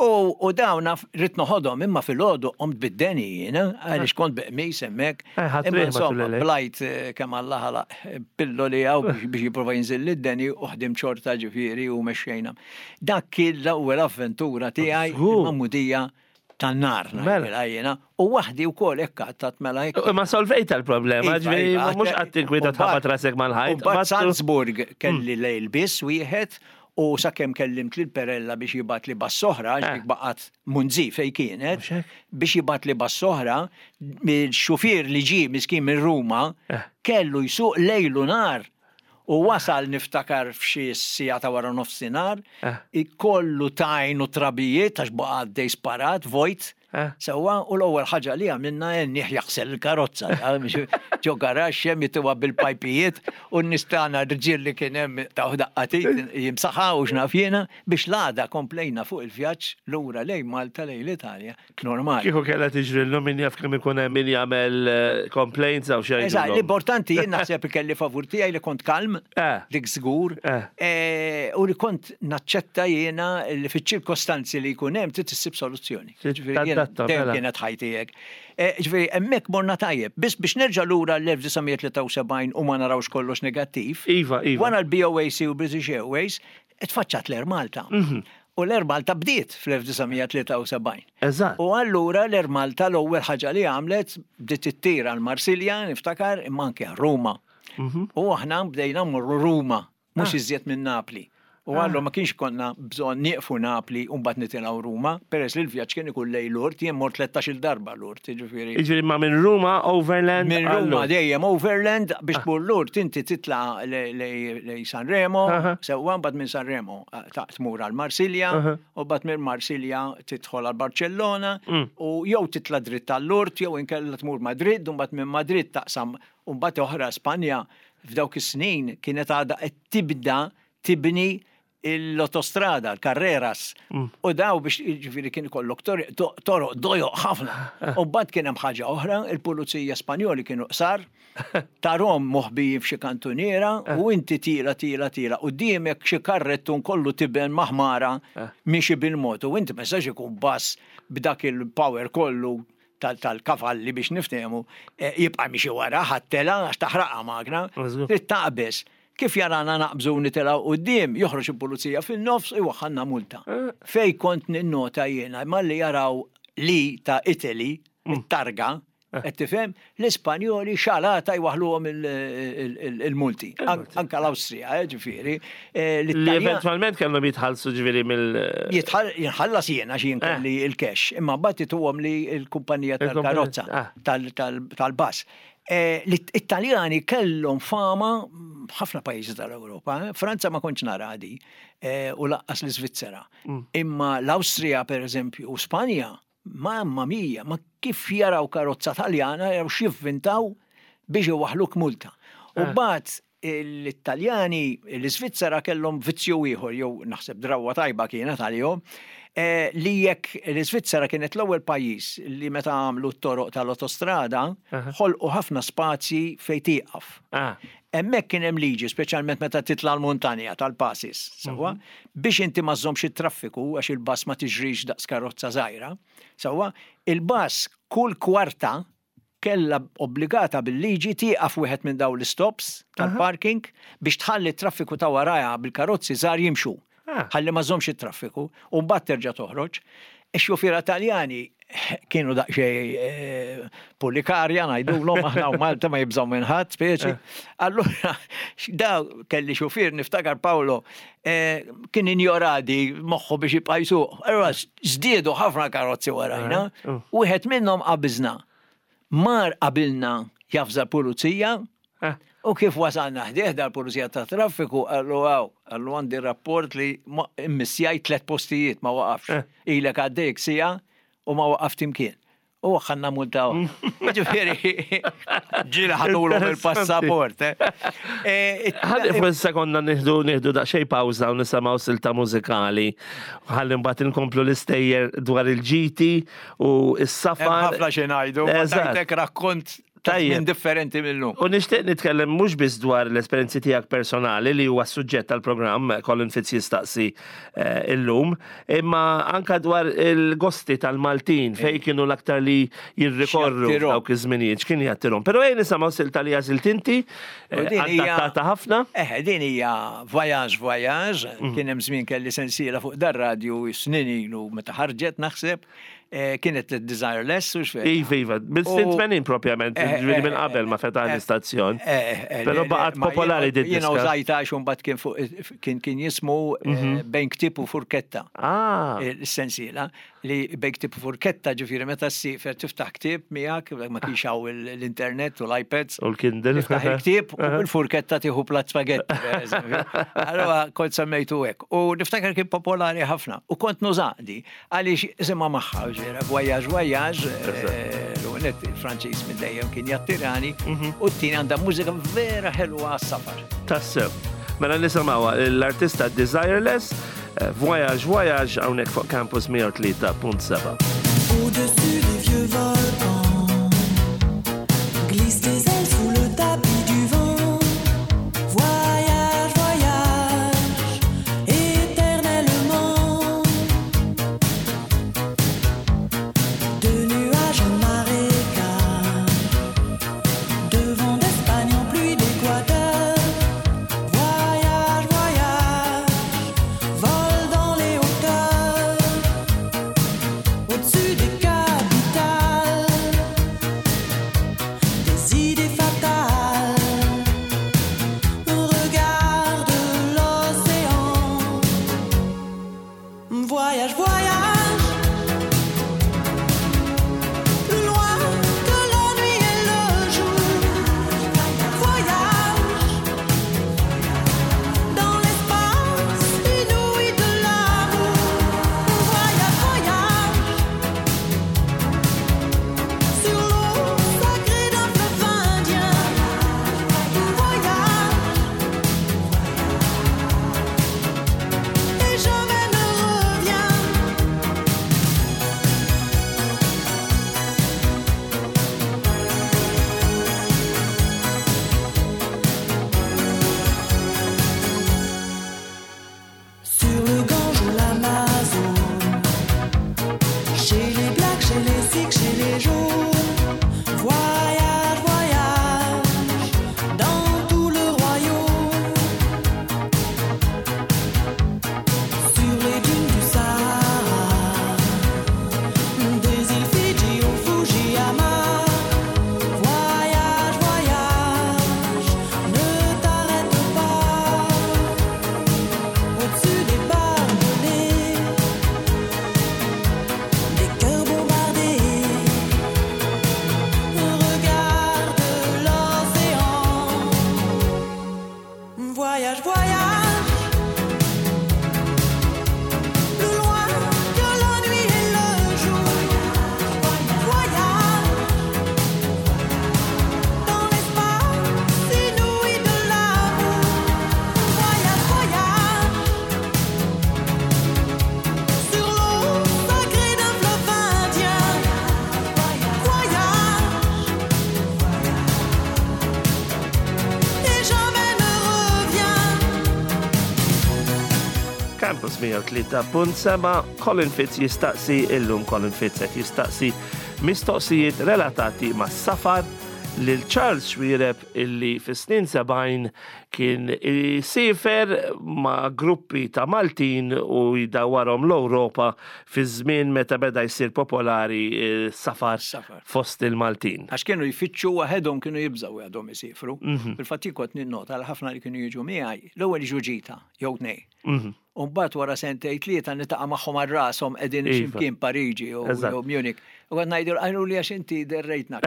U dawn rrid noħodhom imma filgħodu qomt bid-deni jiena għaliex kont bi qmis hemmhekk. Eh, imma insomma blajt eh, kemm Alla ħalaq eh, pilloli hawn biex jipprova jinżil id-deni u ħdim xorta ġifieri u mexxejna. Dak kien l-ewwel avventura tiegħi il-magħmudija tan-nar mela. jiena u waħdi wkoll hekk għattat mela hekk. Imma solvejta l-problema, iva, ġifieri iva, mhux qatt tinkwita tħabbat rasek mal-ħajt. Salzburg kelli lejl biss wieħed U sakemm kellimt lil Perella biex jibgħatli bus oħra, għax dik baqgħet Munzi fejn kienet, biex jibgħatli bus oħra, il-xufier li ġie miskin minn Ruma kellu jsuq lejl u nhar u wasal niftakar f'xi siegħa ta' wara nofsinhar, kollu tajn u trabijiet għax baqa' għaddej sparat, vojt. Sewwa, u l-ewwel ħaġa li għamilna għennieh jaħsel il-karozza, ġo garaxx hemm jituha bil-pajpijiet u n-nies tagħna r-rġiel li kien hemm taw daqqa t'id jimsaħha u x'naf jiena biex l-għada komplejna fuq il-vjaġġ lura lejn Malta lejn l-Italja normali. Kieku kellha tiġri llum min jaf kemm ikun hemm min jagħmel complaints hawn xi Eżatt, l-importanti jien naħseb li kelli favur tiegħi li kont kalm, dik żgur, u li kont naċċetta jiena li fiċ-ċirkostanzi li jkun hemm trid issib soluzzjoni. Ġifieri jiena dejjem mela. kienet ħajti hekk. E, ġifieri hemmhekk morna tajjeb. Biss biex nerġa' lura l-1973 u ma narawx kollox negattiv. Iva, iva. Wara l-BOAC u British Airways, tfaċċat l-Air Malta. Mhm. U l-Air Malta bdiet fl-1973. Eżatt. U allura l-Air Malta l-ewwel ħaġa li għamlet bdiet ittir għal Marsilja, niftakar, imma anke għal Ruma. Mhm. U aħna bdejna mmorru Ruma. mhux iżjed minn Napli. U allura ma kienx ikollna bżonn nieqfu Napli u mbagħad nitilgħu Ruma, peress li l-vjaġġ kien ikun lejn Lourdes, jien mort 13-il darba Lourdes, jiġifieri. Jiġifieri ma minn Ruma overland Minn Ruma dejjem overland biex tmur Lourdes inti titla' lejn Sanremo, sewwa mbagħad minn Sanremo tmur għal Marsilja u mbagħad minn Marsilja tidħol għal Barċellona u jew titla' dritt għal Lourdes jew inkella tmur Madrid u mbagħad minn Madrid taqsam u mbagħad oħra Spanja F'dawk is-snin kienet għadha qed tibda tibni l-autostrada, l-carreras. U daw biex jiġifieri kien ikollok toroq dojoq ħafna. U mbagħad kien hemm ħaġa oħra, il-pulizija Spanjoli kienu qsar, tarhom moħbijin f'xi kantuniera u inti tila tila tila quddiemek xi karrettun kollu tiben ma' ħmara miexi bil-mod u inti ma jistax ikun bus b'dak il-power kollu. tal-kavalli biex niftehmu eh, jibqa' miexi wara ħadd tela għax taħraqha magna. Trid taqbeż. Kif jarana naqbżu nitilgħu quddiem, joħroġ il-pulizija fin-nofs u jwaħħalna multa. Eh. Fej kont ninnota jiena malli jaraw li ta' Italy, mm. it-targa, eh. qed tifhem, l-Ispanjoli xalata jwaħluhom il-multi. Anka l-Awstrija, eh, ġifieri. Li eventwalment kellhom jitħallsu ġifieri mill. Jitħallas jiena xi kelli il-cash, imma mbagħad ituhom li l-kumpanija tal-karozza tal-bus. L-Italjani kellhom fama ħafna pajjiżi tal-Ewropa. Eh? Franza ma kontx nara di eh, u laqqas l-Iżvizzera. Mm. Imma l-Awstrija per eżempju u Spanja, mamma mia, ma kif jaraw karozza Taljana jaraw x'jivvintaw biex iwaħluk multa. U eh. bat l-Italjani, l-Iżvizzera kellhom vizzju ieħor, jew naħseb drawwa tajba kienet għalihom, eh, li jekk l-Iżvizzera kienet l-ewwel pajjiż li meta għamlu t-toroq tal-otostrada, ħolqu ħafna spazji fejn tieqaf. Ah. Hemmhekk kien hemm liġi, speċjalment meta titla' l-muntanja tal-passes, sewwa, mhm. biex inti ma żżommx it-traffiku għax il-bus ma tiġrix daqs karozza żgħira, sewwa, il-bus kull kwarta kellha obbligata bil-liġi tieqaf wieħed minn dawn l-istops tal-parking biex tħalli t-traffiku ta' warajha bil-karozzi żgħar jimxu. Ah. Ħalli ma żommx it-traffiku u mbagħad terġa' toħroġ. Ix-xufiera Taljani kienu daqsxejn eh, pulikarja ngħidulhom aħna u Malta ma jibżgħu minn ħadd speċi. Eh. Allura daw kelli xufier niftakar Paolo eh, kien injoradi moħħu biex jibqa' jsuq. Allura żdiedu ħafna karozzi warajna, eh, uh. wieħed minnhom qabiżna. Mar qabilna jafża pulizija eh. u kif wasalna ħdieħ dal-pulizija ta' traffiku qallu għaw, qallu għandi rapport li immissjaj tlet postijiet ma waqafx. Ilek għaddejk sija u ma waqaft imkien. U ħanna multa Ġifieri, ġieli ħadulhom il-passaport. Eh. Eh, Ħalli fuq sekonda nieħdu nieħdu daqsxejn pawża u nisimgħu silta mużikali. Ħalli mbagħad inkomplu l-istejjer dwar il-ġiti u s-safar. Ħafna xi ngħidu, tajtek rakkont Tajjeb. differenti mill-lum. U nixtieq nitkellem mhux biss dwar l-esperjenzi tiegħek personali li huwa s-suġġett tal-programm Colin Fitz jistaqsi eh, illum, imma anka dwar il-gosti tal-Maltin fej kienu l-aktar li jirrikorru dawk iż-żminijiet, x'kien jattirhom. Però ejja nisimgħu silta li għażilt inti, eh, adattata ħafna. Eh, din hija Voyage Voyage, mm. kien hemm żmien kelli sensiela fuq dar-radju snin ilu meta ħarġet naħseb. Eh, kienet Desireless u xfejn. Iva, iva, minn 80 propjament, eh, ġifieri minn eh, qabel ma fetaħ l-istazzjon. Però baqgħet popolari din. Jiena użajta għax imbagħad kien fuq kien kien jismu mhm. bejn ktieb u furketta. Ah. Il-sensiela li bejn ktieb u furketta ġifieri meta ssifer tiftaħ ktieb miegħek ma kienx hawn l-internet u l-iPads. U l-Kindle. Tiftaħ il-ktieb u bil-furketta tieħu plat spagetti. Allora kont semmejtu hekk. U niftakar kien popolari ħafna. U kont nużaqdi. Għaliex isimha magħha ġera, voyage, voyage, eh, l-għonet il-Franċiż minn dejjem kien jattirani, mhm. u t-tieni għandha mużika vera ħelwa għas-safar. Tassew. Mela nisimgħu l-artista Desireless, eh, Voyage, Voyage hawnhekk fuq Campus 103.7. Au-dessus des vieux volcans, glisse tes ailes sous le tapis du vent. Voyage, voyage, éternellement. De nuages en marécage, de vent d'Espagne en pluie d'Équateur. Voyage, voyage, vole dans les hauteurs. Au-dessus 103.7, Colin Fitz jistaqsi illum Colin Fitz qed jistaqsi mistoqsijiet relatati mas-safar lil Charles Xuereb illi fis-snin 70 kien isiefer ma' gruppi ta' Maltin u jdawwarhom l-Ewropa fi żmien meta beda jsir popolari s-safar fost il-Maltin. Għax kienu jfittxu waħedhom kienu jibżgħu waħedhom isifru. Mhm. Fil-fatt jien kont ninnota li ħafna li kienu jiġu miegħi, l-ewwel jiġu ġita jew tnej. Mhm. U mbagħad wara sentej tlieta nitaqa' magħhom għal rashom qegħdin iva. x'imkien Pariġi jew Munich. U għad ngħidu għajru li għax inti derrejtna.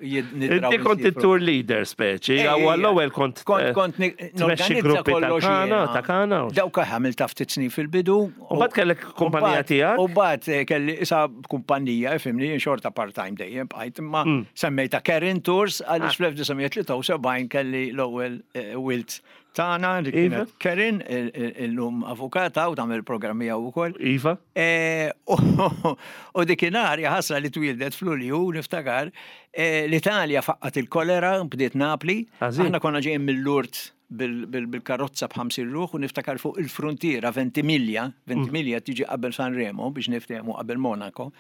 Inti kont it-tour leader speċi, eh, għaw l-ewwel kont kont eh, kont tmexxi gruppi ta' kana, ta' kana. Dawk għamil ta' ftit snin fil-bidu. U mbagħad kellek kumpanija tiegħek? U mbagħad eh, kelli isa kumpanija, ifhimni, xorta part-time dejjem bqajt, imma mm. semmejta Karen Tours għaliex ah. fl-1973 kelli l-ewwel wilt tagħna li iva. kienet Karen illum avukata u tagħmel programmi hawn ukoll. Iva. Eh, u dikinhar ħasra li twildet f'Lulju niftakar eh, l-Italja faqqat il-kolera bdiet Napli. Aħna konna ġejjin mill-Lourdes bil-karozza b'ħamsin ruħ u niftakar fuq il-frontiera Ventimiglia, Ventimiglia mm. tiġi qabel Sanremo biex niftehmu qabel Monaco.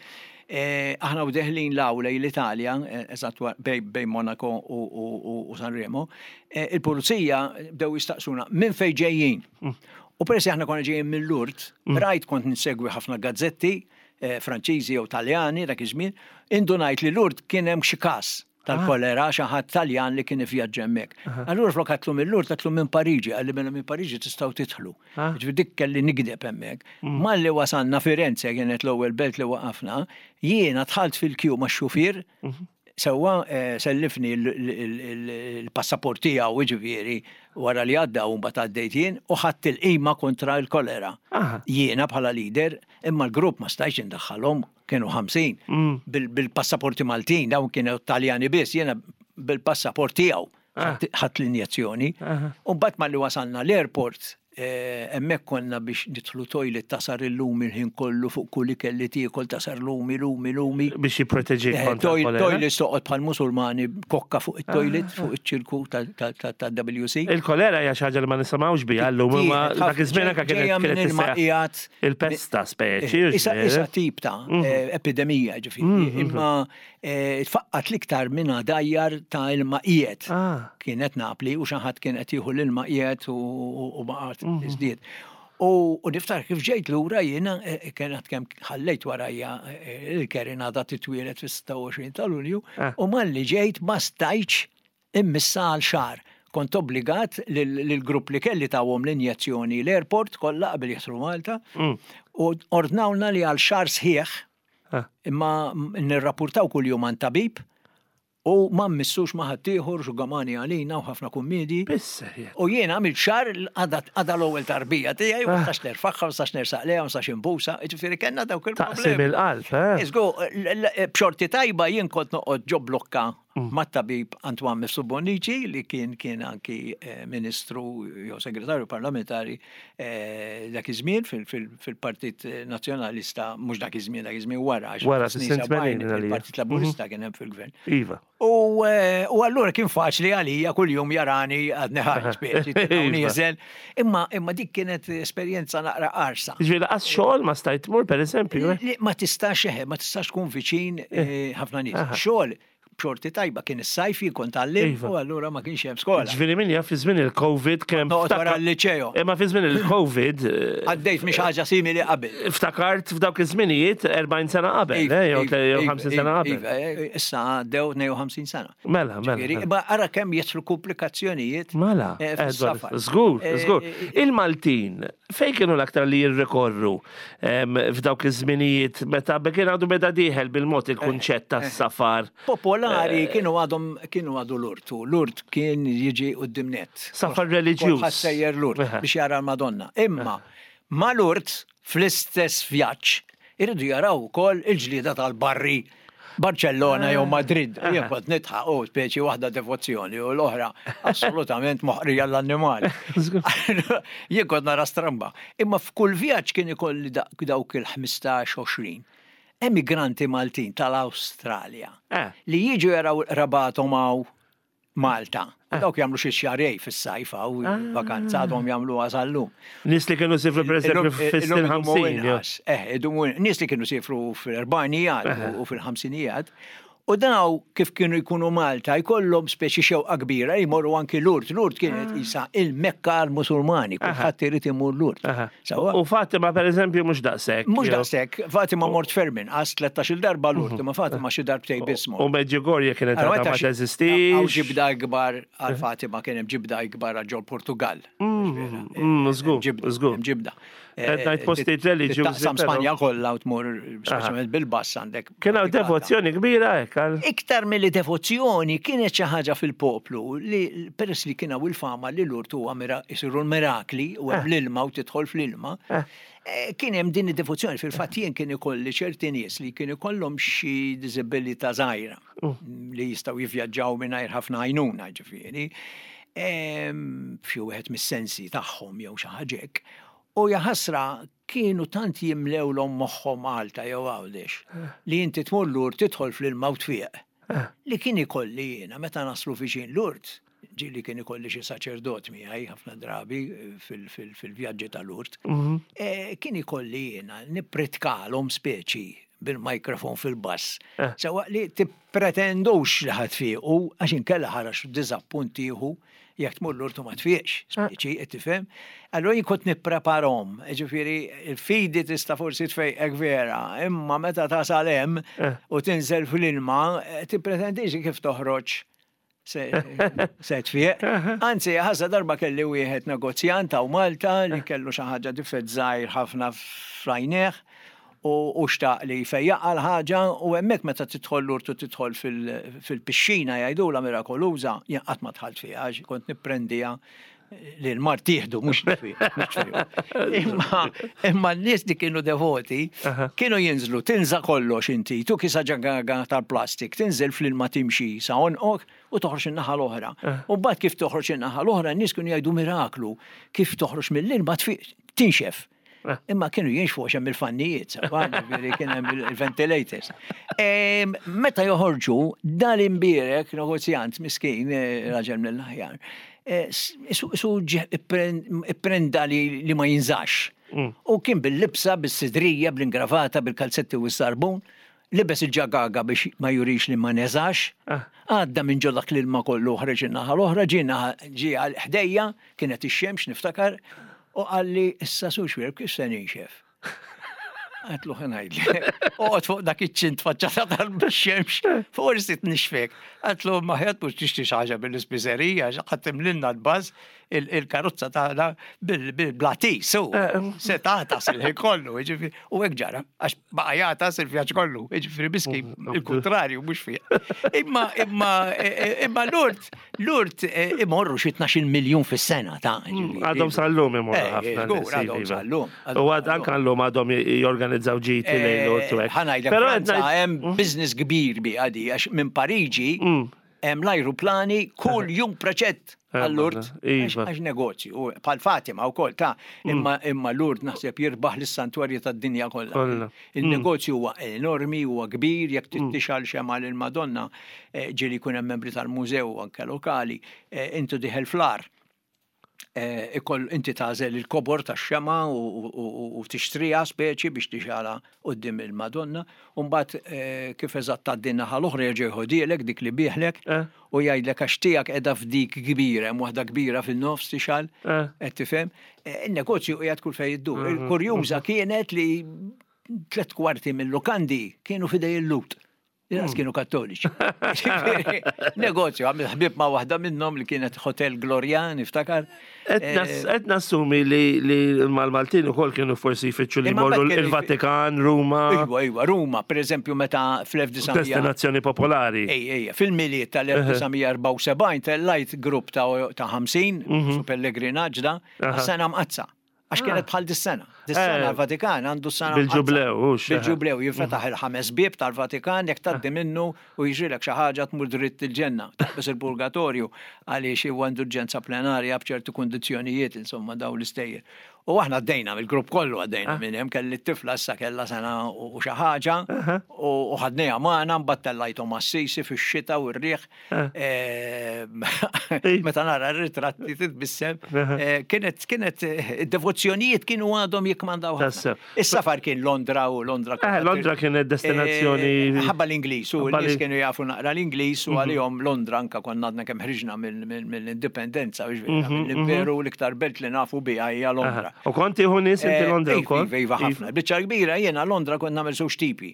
Eh, aħna u deħlin l-awla l-Italja, eh, eżatt bej Monaco u Sanremo, eh, il-pulizija bdew jistaqsuna minn fejn ġejjin. Mm. U peress aħna konna ġejjin mill-Lourdes, mm. rajt kont nsegwi ħafna gazzetti Franċiżi jew Taljani dak iż-żmien, indunajt li Lourdes kien hemm xi każ tal-kolera xi ħadd Taljan li kien ivvjaġġa hemmhekk. Allura flok għatlu mill-Lourdes għatlu minn Pariġi, qalli mela minn Pariġi tistgħu tidħlu. Ah. Ġifieri dik kelli nigdeb hemmhekk. Mm. Malli wasalna Firenze kienet l-ewwel belt li waqafna, jiena dħalt fil-kju max-xufier, mhm. sewwa eh, sellifni l-passaport tiegħu jiġifieri wara li għadda u mbagħad għaddejt jien u ħadt il-qima kontra l-kolera. Jiena bħala leader, imma l-grupp ma stajtx indaħħalhom kienu 50 mm. bil-passaporti Maltin, dawn kienu Taljani biss, jiena bil-passaport tiegħu ah. ħadd l-injezzjoni. U mbagħad malli wasalna l-airport, eh, hemmhekk konna biex nidħlu toilet tasar il-lumi l-ħin kollu fuq kull ikel li tiekol tasar lumi, lumi, lumi. Biex jipproteġik eh, kontra Toilet toqgħod bħal musulmani kokka fuq it-toilet ah. fuq iċ-ċirku ta' WC. Il-kolera hija xi ħaġa li ma nisimgħux biha llum imma dak iż-żmien anke kienet Il-pesta speċi. Isa isa tip ta' mhm. eh, epidemija ġifieri, mhm. imma eh, tfaqqat l-iktar minn dajjar ta' ilma qiegħed. Ah. Kienet Napli u xi ħadd kien qed jieħu l-ilma qiegħed u baqgħet mhm. tiżdied. U niftakar kif ġejt lura jiena eh, kienet kemm ħallejt warajja il-Kerin għadha titwielet fis-26 ta' Lulju ah. u malli ġejt ma stajtx Immissa għal xahar. Kont obbligat lill-grupp li kelli tawhom l-injezzjoni l-airport kollha qabel jidħlu Malta u ordnawlna li għal xahar sħiħ imma nirrapportaw kuljum għand tabib u ma mmissux ma' ħaddieħor xugamani għalina u ħafna kummiedji. U jiena għamilt xahar għadha l-ewwel tarbija tiegħi ma nistax nerfagħha, ma nistax nersaq lejha, ma nistax inbusha, jiġifieri kellna dawk il-problemi. Taqsim il-qalb, eh? Żgur, b'xorti tajba jien kont noqgħod ġo blokka mm. mat-tabib Antoine Mifsud Bonnici li kien kien anki eh, ministru jew segretarju parlamentari eh, dak iż-żmien fil-Partit Nazzjonalista mhux dak iż-żmien dak iż-żmien wara wara il-Partit Laburista mhm. kien hemm fil-gvern. Iva. U eh, u allura kien faċli għalija kuljum jarani għadni ħaj speċi iva. nieżel. Imma imma dik kienet esperjenza naqra qarsa. Ġifieri laqas xogħol ma stajt tmur pereżempju. Eh? Ma tistax eħe, ma tistax tkun viċin ħafna nies. Xogħol b'xorti tajba kien is-sajf jien kont għallim iva. u allura ma kienx hemm skola. Ġifieri min jaf fi żmien il-Covid kemm. Noqgħod wara l-liċeo. Imma fi żmien il-Covid. Eh, Għaddejt mhix ħaġa simili qabel. Ftakart f'dawk iż-żminijiet 40 sena qabel, iva, eh, jew 50 iva, sena qabel. Eh, issa għaddew 52 sena. Mela, mela. mela. Ma ara kemm jidħlu komplikazzjonijiet. Mela, żgur, żgur. Il-Maltin fejn kienu l-aktar li jirrikorru f'dawk iż-żminijiet meta kien għadu beda dieħel bil-mod il-kunċett tas-safar. Popolari eh. kienu għadhom kienu għadu l-urtu. L-urt kien jiġi quddiem nett. Safar reliġjuż. Kulħadd sejjer l-urt biex jara l-Madonna. Imma ma l-urt fl-istess vjaġġ iridu jaraw ukoll il-ġlieda tal-barri Barcellona jew Madrid, jien kont nidħaq u speċi waħda devozzjoni u l-oħra assolutament moħqrija l-annimali. Jien kont nara stramba. Imma f'kull vjaġġ kien ikolli dawk il-15-20 emigranti Maltin tal-Awstralja eh. li jiġu jaraw rabatom hawn Malta. U dawk jagħmlu xi xarej fis-sajf u ah. vakanza għadhom jagħmluha sal-lum. Nies li kienu sifru pereżempju fis-snin 50. Eh, nies li kienu sifru fil-erbajnijat u fil-ħamsinijat. U daw kif kienu jkunu Malta jkollhom speċi xewqa kbira jmorru anki Lourdes. Lourdes kienet ah. isa il-Mekka għal-Musulmani, kulħadd irid imur Lourdes. U Fatima per eżempju mhux daqshekk. Mhux daqshekk, Fatima mort ferm inqas 13-il darba Lourdes, ma Fatima xi darbtej biss mort. U Medjugorje kienet għadha ma teżistix. Hawn ġibda ikbar għal Fatima kien hemm ġibda ikbar għal ġol Portugal. Mm, mm, żgur, żgur. Ġibda. Qed ngħid postijiet reliġjużi. Taqsam Spanja kollha u tmur speċjalment bil-bass għandek. Kien hawn devozzjoni kbira hekk għal. Iktar milli devozzjoni kienet xi ħaġa fil-poplu li peress li kien hawn il-fama li Lourdes huwa isiru l-mirakli u hemm l-ilma u tidħol fl-ilma. Kien hemm din id-devozzjoni fil-fatt jien kien ikolli ċerti nies li kien ikollhom xi diżabilità żgħira li jistgħu jivvjaġġaw mingħajr ħafna għajnuna ġifieri. F'xi wieħed mis-sensi tagħhom jew xi ħaġa hekk. U jaħasra kienu tant jimlewlhom moħħhom Malta jew Għawdex li inti tmur Lourdes tidħol fl-ilma u tfieq. Li kien ikolli jiena meta naslu viċin Lourdes, ġieli kien ikolli xi saċerdot miegħi ħafna drabi fil-vjaġġi ta' Lourdes, kien ikolli jiena nippritkalhom speċi bil-microphone fil-bass. Sewwa li tippretendux li ħa tfiequ għax inkella ħarax diżappunt tieħu jekk tmur Lourdes u ma tfieqx, speċi, qed tifhem? Allura jien kont nippreparhom, ġifieri il-fidi tista' forsi tfejqek vera, imma meta tasal hemm u tinżel fl-ilma, tippretendix kif toħroġ se tfieq. Anzi, ħassa darba kelli wieħed negozjant hawn Malta li kellu xi ħaġa difett żgħir ħafna f'għajnejh u xtaq li jfejjaqha l-ħaġa u hemmhekk meta tidħol Lourdes u tidħol fil-pixxina jgħidulha mirakoluża, jien qatt ma dħalt fiha għax kont nipprendiha li l-mard tieħdu mhux Imma imma n-nies li kienu devoti kienu jinżlu tinża kollox inti, tu kisa ġagaga tal-plastik, tinżel fl-ilma timxi sa għonqok u toħroġ in-naħa l-oħra. U mbagħad kif toħroġ in-naħa l-oħra n-nies kienu jgħidu miraklu kif toħroġ mill-ilma tinxef. Eh. Imma kienu jinxfu għax hemm il-fannijiet, ġifieri kien hemm il-ventilators. Meta joħorġu, dan imbierek negozjant miskin, eh, raġel mill-aħjar, eh, su ipprenda li ma jinżax. Mm. U kien bil-libsa, bis-sidrija, bl-ingravata, bil-kalzetti u s-sarbun, libes il-ġagaga biex ma jurix li ma neżax, ah. għadda minn ġo dak l-ilma kollu ħreġ in-naħa l-oħra, ġie ġie għal ħdejja, kienet ix-xemx niftakar, u qalli issa Sur Xuereb kif se ninxef? Għedtlu ħa ngħidlek. Oqgħod fuq dak iċ-ċint faċċata tal-xemx, forsi tnixfek. Għedtlu ma ħjat mhux tixtri xi ħaġa mill-ispiżerija, ħadd timlilna l-baż il-karozza tagħna bil-blatis, u se tagħtas il-ħin kollu, jiġifieri, u hekk ġara, għax baqa' jagħtas il-vjaġġ kollu, jiġifieri miski mm, il-kuntrarju mhux fih. Imma imma e, e, imma Lourdes Lourdes e, imorru xi 12 miljun fis-sena ta' mm, Għadhom sal-lum imorru eh, ħafna. Għadhom iva. sal-lum. U għad anke llum għadhom jorganizzaw ġiti lejn Lourdes u hekk. Ħa Però hemm mm. business kbir bi għadi għax minn Pariġi Hemm l-ajruplani kull jum preċett eh, għal-Lourdes. Iva. Għax negozju, bħal Fatima wkoll ta' mm. imma imma Lourdes naħseb jirbaħ lis-santwarji tad-dinja kollha. Mm. Il-negozju huwa enormi, huwa kbir, jekk mm. tixgħal xema lil Madonna, eh, ġieli jkun hemm membri tal-mużew anke lokali, eh, intu diħel fl-ar. Eh, ikoll inti tagħżel il-kobor tax-xema u tixtriha speċi biex tixgħalha quddiem il-Madonna, u mbagħad eh, kif eżatt tgħaddi naħa l-oħra jerġa' jħodielek dik li bieħlek eh. u jgħidlek għax tiegħek qiegħda f'dik kbira, hemm waħda kbira fin-nofs tixgħal, qed tifhem. In-negozju qiegħed kull fejn iddur. Mhm. Il-kurjuża kienet li tlet kwarti mill-lukandi kienu fidej il-lut. Inqas kienu kattoliċi. Negozju, għamil ħbib ma' waħda minnhom li kienet Hotel Gloria, niftakar. Qed nassumi li mal-Maltin ukoll kienu forsi jfittxu li jmorru il-Vatikan, Ruma. Iwa, iwa, Ruma, per eżempju, meta fl-1900. Destinazzjoni popolari. Ej, ej, fil-miliet tal-1974 tellajt grupp ta' 50, mhm. su pellegrinaġġ da, sena mqazza. Għax kienet ah. bħal dis-sena. Dis-sena eh. l-Vatikan għandu s-sena. Bil-ġublew, Bil-ġublew, jinfetaħ il-ħames bieb tal-Vatikan jekk tgħaddi ah. minnu u jiġrilek xi ħaġa tmur dritt il-ġenna. Taqbeż il-purgatorju għaliex huwa indulġenza plenarja b'ċertu kundizzjonijiet, insomma dawn l-istejjer. U aħna għaddejna, mill-grupp kollu għaddejna ah. minn hemm, kelli t-tifla issa kellha sena u xi ħaġa u ħadniha magħna mbagħad tellajthom Assisi fix-xita u r-riħ. Ah. Eh, meta nara r-ritratti titbissem, eh, kienet kienet eh, id-devozzjonijiet kienu għadhom jikmandaw. Is-safar kien Londra u Londra. Londra kienet destinazzjoni. Ħabba l-Ingliż u l-nies kienu jafu naqra l-Ingliż u mhm. għalihom Londra anka konna għadna kemm ħriġna mill-indipendenza, mhm, mhm. mill-imperu l-iktar belt li nafu biha hija Londra. U kont tieħu nies inti Londra wkoll? Iva, iva, ħafna. Biċċa kbira jiena Londra kont nagħmel żewġ tipi.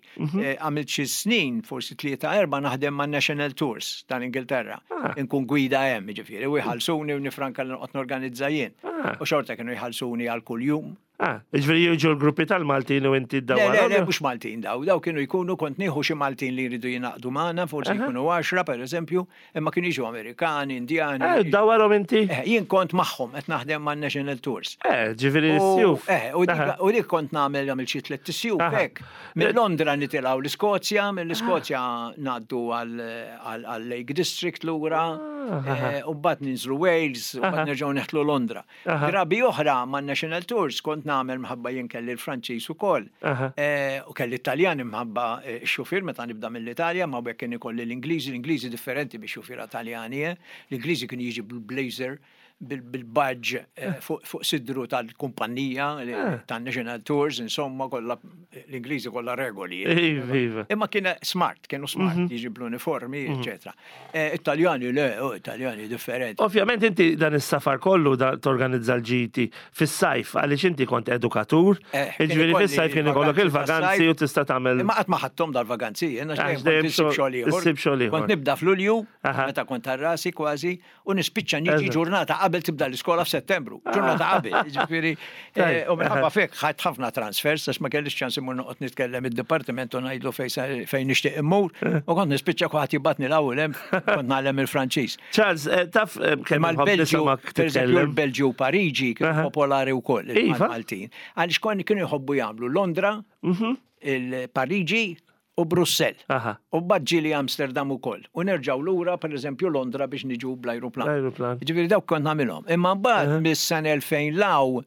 Għamilt xi snin, forsi tlieta erba' naħdem ma' National Tours tal-Ingilterra. Ah. Inkun gwida hemm, jiġifieri, u jħallsuni u nifranka li noqgħod norganizza jien. Ah. U xorta kienu jħallsuni għal kuljum. Ah, ġifieri jiġu l-gruppi tal-Maltin u inti d-dawar. Le, le, mhux Maltin daw, daw kienu jkunu kont nieħu xi Maltin li jridu jingħaqdu magħna, forsi jkunu 10 pereżempju, imma kienu jiġu Amerikani, Indjani. Eh, dawarhom inti? Eh, jien kont magħhom qed naħdem man National Tours. Eh, ġifieri s-sjuf. Eh, u dik kont nagħmel għamil xi tliet isjuf hekk. Minn Londra nitilgħu l-Iskozja, mill-Iskozja ngħaddu għal Lake District lura, eh, u mbagħad ninżlu Wales, u mbagħad nerġgħu neħtlu Londra. Drabi oħra man National Tours kont nagħmel mħabba jien kelli l-Franċiż ukoll. Eh, u kelli Taljan imħabba eh, x-xufier meta nibda mill-Italja, ma bekk kien ikolli l-Ingliżi, l-Ingliżi differenti biex xufiera Taljani, eh. L-Ingliżi kien jiġi bil-blazer bil-badge fuq sidru tal-kumpanija tan-National Tours, insomma, kollha l-Ingliżi kollha regoli. Iva, iva. Imma kien smart, kienu smart, mhm. jiġi bl-uniformi, mhm. eccetera. Eh, Italjani le, oh, Italjani differenti. Ovvjament inti dan is-safar kollu torganizza l-ġiti fis-sajf għaliex inti kont edukatur, eh, jiġifieri fis-sajf kien ikollok il-vaganzi u tista' tagħmel. Imma qatt ma ħadthom dal-vaganzi, jiena xejn xogħol ieħor. Kont nibda f'Lulju, meta kont rasi kważi, u nispiċċa niġi ġurnata qabel tibda l-iskola f'Settembru, ġurnata qabel, ġifieri, eh, u minħabba fek ħadd ħafna transfers għax ma kellix ċans imur noqgħod nitkellem id-dipartiment u ngħidlu fejn nixtieq immur, u kont nispiċċa kulħadd jibgħatni l-ewwel hemm kont nagħlem il-Franċiż. Charles, eh, taf eh, kemm l-Belġju, pereżempju l-Belġju u Pariġi kienu popolari wkoll iva. il-Maltin. Għaliex konni kienu jħobbu jagħmlu Londra, mhm. il-Pariġi u Brussell. U mbagħad ġieli Amsterdam ukoll. U nerġgħu lura pereżempju Londra biex niġu bl-ajruplan. L-ajruplan. Ġifieri dawk kont nagħmilhom. Imma mbagħad mis-sena 2000 law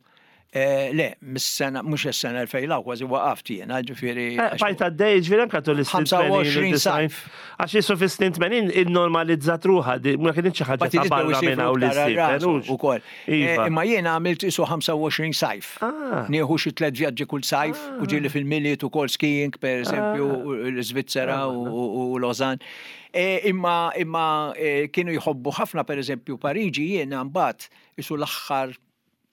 eh, le, mis-sena mhux is-sena 2000 law kważi waqaft jiena, ġifieri. Eh, bajt għaddej, ġifieri anke tul is-snin 25 sajf. Għax jisu fis-snin 80 innormalizzat ruħha, ma kienx xi ħaġa ta' barra minn hawn li ukoll. Iva. Eh, imma jiena għamilt isu 25 sajf. Ah. Nieħu xi tliet vjaġġi kull sajf ah. u ġieli fil-Milied ukoll skiing pereżempju ah. l-Iżvizzera u Lausanne. Eh, imma imma eh, kienu jħobbu ħafna pereżempju Pariġi jiena mbagħad isu l-aħħar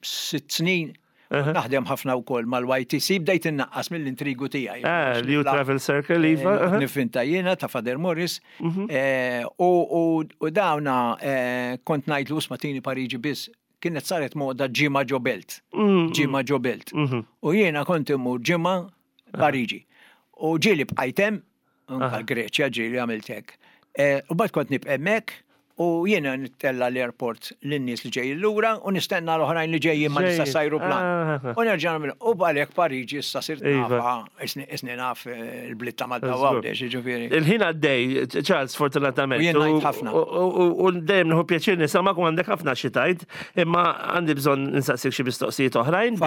sitt snin Naħdem ħafna wkoll mal-YTC bdejt innaqqas mill-intrigu tiegħi. Ah, New Travel Circle, iva. Nifinta jiena ta' Father Morris. Mhm. Eh, u dawna eh, kont ngħidlu isma' tini Pariġi biss kienet saret moda ġimgħa ġo belt. Mm, ġimgħa ġo belt. Mhm. U jiena kont immur ġimgħa Pariġi. U ġieli bqajt hemm, anka l-Greċja ġieli għamilt hekk. Eh, u bad kont nibqa' hemmhekk u jiena nittella l-airport lin-nies li ġejjin lura u nistenna l-oħrajn li ġejjin ma nista' ajruplan. Ah, ah, ah. U nerġa' nagħmel u għalhekk Pariġi issa sirt iva. nafha, isni naf eh, il-bliet ta' Malta u Għawdex, jiġifieri. Il-ħin għaddej, Charles, fortunatament. U jien ngħid ħafna. U dejjem nieħu pjaċir nisimgħek u għandek ħafna xi tgħid, imma għandi bżonn insaqsik xi mistoqsijiet oħrajn.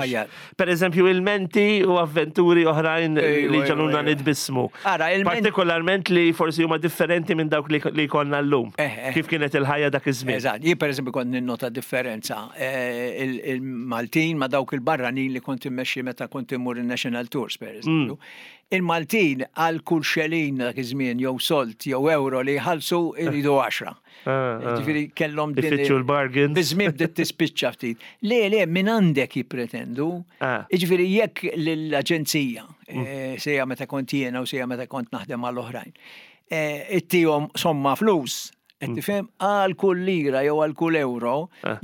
Per eżempju, ilmenti u avventuri oħrajn li ġaluna nitbissmu. Ara, Partikolarment li forsi huma differenti minn dawk li konna llum. Eh, eh. Kif kienet il-ħajja dak iż-żmien. Eżatt, jien pereżempju kont ninnota differenza eh, il-Maltin ma dawk il-barranin li kont immexxi meta kont immur il-National Tours, per eżempju. Mm. Il-Maltin għal kull xelin dak iż-żmien jew solt jew euro li jħallsu iridu 10. Ah, ah. Ġifieri kellhom din. Ifittxu l-bargains. Biż-żmien bdiet tispiċċa ftit. Le, le, minn għandek jippretendu. Ah. Ġifieri jekk l-aġenzija, mm. eh, sejja meta kont jiena u sejja meta kont naħdem mal-oħrajn, eh, ittihom somma flus, qed mm. tifhem għal kull lira jew għal kull euro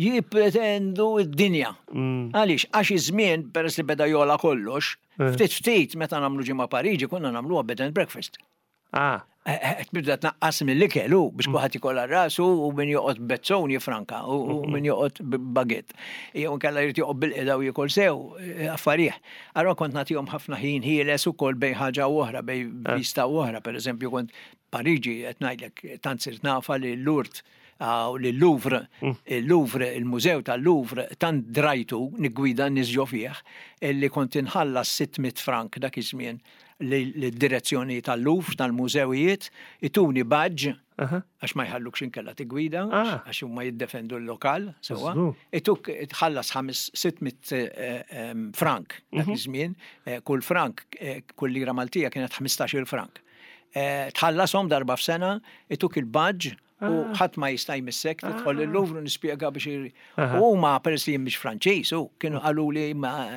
jippretendu d-dinja. Mm. Għaliex għax iż-żmien peress li beda jola kollox, eh. ftit ftit meta nagħmlu ġimgħa Pariġi konna nagħmluha bed and breakfast. Ah. Eh, eh, tibda tnaqqas mill-ikel u biex mm. kulħadd ikollha rasu u min joqgħod bezzon jifranka u mm-hmm. min joqgħod baget. Jew inkella jrid joqgħod bil-qeda u jiekol sew eh, affarih. Allora kont nagħtihom ħafna ħin ħieles ukoll bejn ħaġa u oħra, bejn vista u oħra. Pereżempju kont Pariġi qed ngħidlek tant sirt nafa li l-Lourdes. l-Louvre, il-Louvre, il-Mużew tal-Louvre, tant drajtu niggwida n-nies ġo fih, illi kont inħallas 600 frank dak iż-żmien lid-direzzjoni tal-Louvre, tal-mużewijiet, ituni badge, għax ma jħallukx inkella tiggwida, għax huma jiddefendu l-lokal, sewwa. Ituk tħallas 600 frank dak iż-żmien, kull frank, kull lira Maltija kienet 15-il frank. Tħallashom darba f'sena, ituk il-badge u ħadd ma jista' jmissek, tidħol il-Louvre u nispjega biex U huma peress li jien mhix Franċiż, u kienu qaluli ma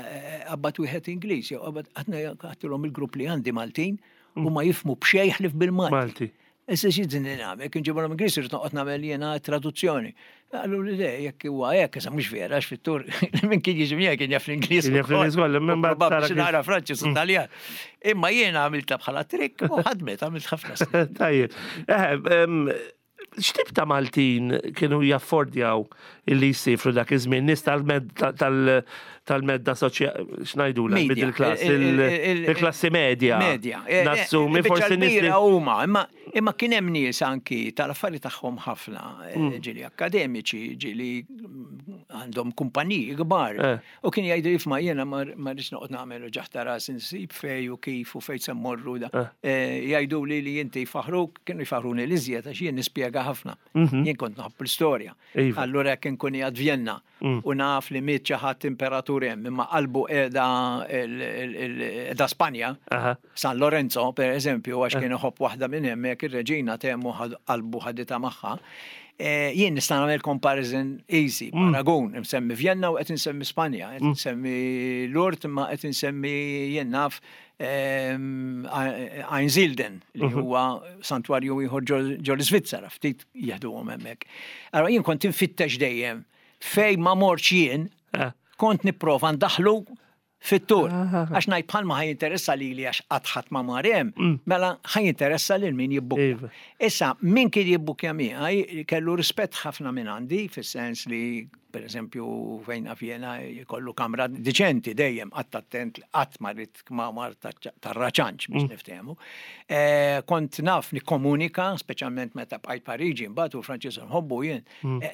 qabad wieħed Ingliż, jew qabad għadtilhom il-grupp li għandi Maltin u ma jifhmu b'xejn ħlief bil-Malti. Malti. Issa xi din nagħmel, kien ġibhom Ingliż irid noqgħod nagħmel jiena traduzzjoni. Qallu li le, jekk huwa hekk, issa mhux vera għax fit-tur minn kien jiġi miegħi kien jaf l-Ingliż. Kien jaf l-Ingliż kollha, minn bad tara nara Franċiż u Taljan. Imma jiena għamiltha bħala trikk u ħadmet għamilt ħafna snin. Tajjeb. X'tip ta' Maltin kienu jaffordjaw illi jsifru dak iż-żmien? Nies tal-medda soċjali, x'ngħidulha, middle class, il-klassi medja. Medja. Nassumi forsi nies li. Huma, imma kien hemm nies anki tal-affari tagħhom ħafna, ġieli akkademiċi, ġieli għandhom kumpaniji kbar. U kien jgħidu jifma jiena ma rridx noqgħod nagħmel uġigħ ta' ras insib fej u kif u fejn se mmorru da. Jgħidu li li inti jfaħruk, kienu jfaħruni l-iżjed għax jien nispjega ħafna. Jien kont nħobb l-istorja. Allura jekk inkun qiegħed Vjenna u naf li miet xi ħadd imperatur hemm imma qalbu qiegħda qiegħda Spanja, San Lorenzo per eżempju għax kien iħobb waħda minn hemmhekk ir-reġina t'hemm u qalbu ħaditha magħha. Jien nista' nagħmel comparison easy, paragun, insemmi Vjenna u qed insemmi Spanja, qed insemmi Lourdes imma qed insemmi jien naf Einsiedeln li huwa santwarju ieħor ġol Iżvizzera, ftit jeħduhom hemmhekk. Allora jien kont infittex dejjem fejn ma mortx jien, kont nipprova ndaħħlu fit-tur. Għax ngħid bħalma ħa jinteressa lili għax qatt ħadd ma mar hemm, mela ħa jinteressa lil min jibbukkja. Iva. Issa, min kien jibbukkja miegħi kellu rispett ħafna minn għandi, fis-sens li, per eżempju, fejn naf jiena jkollu kamra diċenti dejjem, qatt attent li qatt ma rrid kmamar tar-raċanċ biex niftehmu. Kont naf nikkomunika, speċjalment meta bqajt Pariġi mbagħad u l-Franċiż nħobbu jien,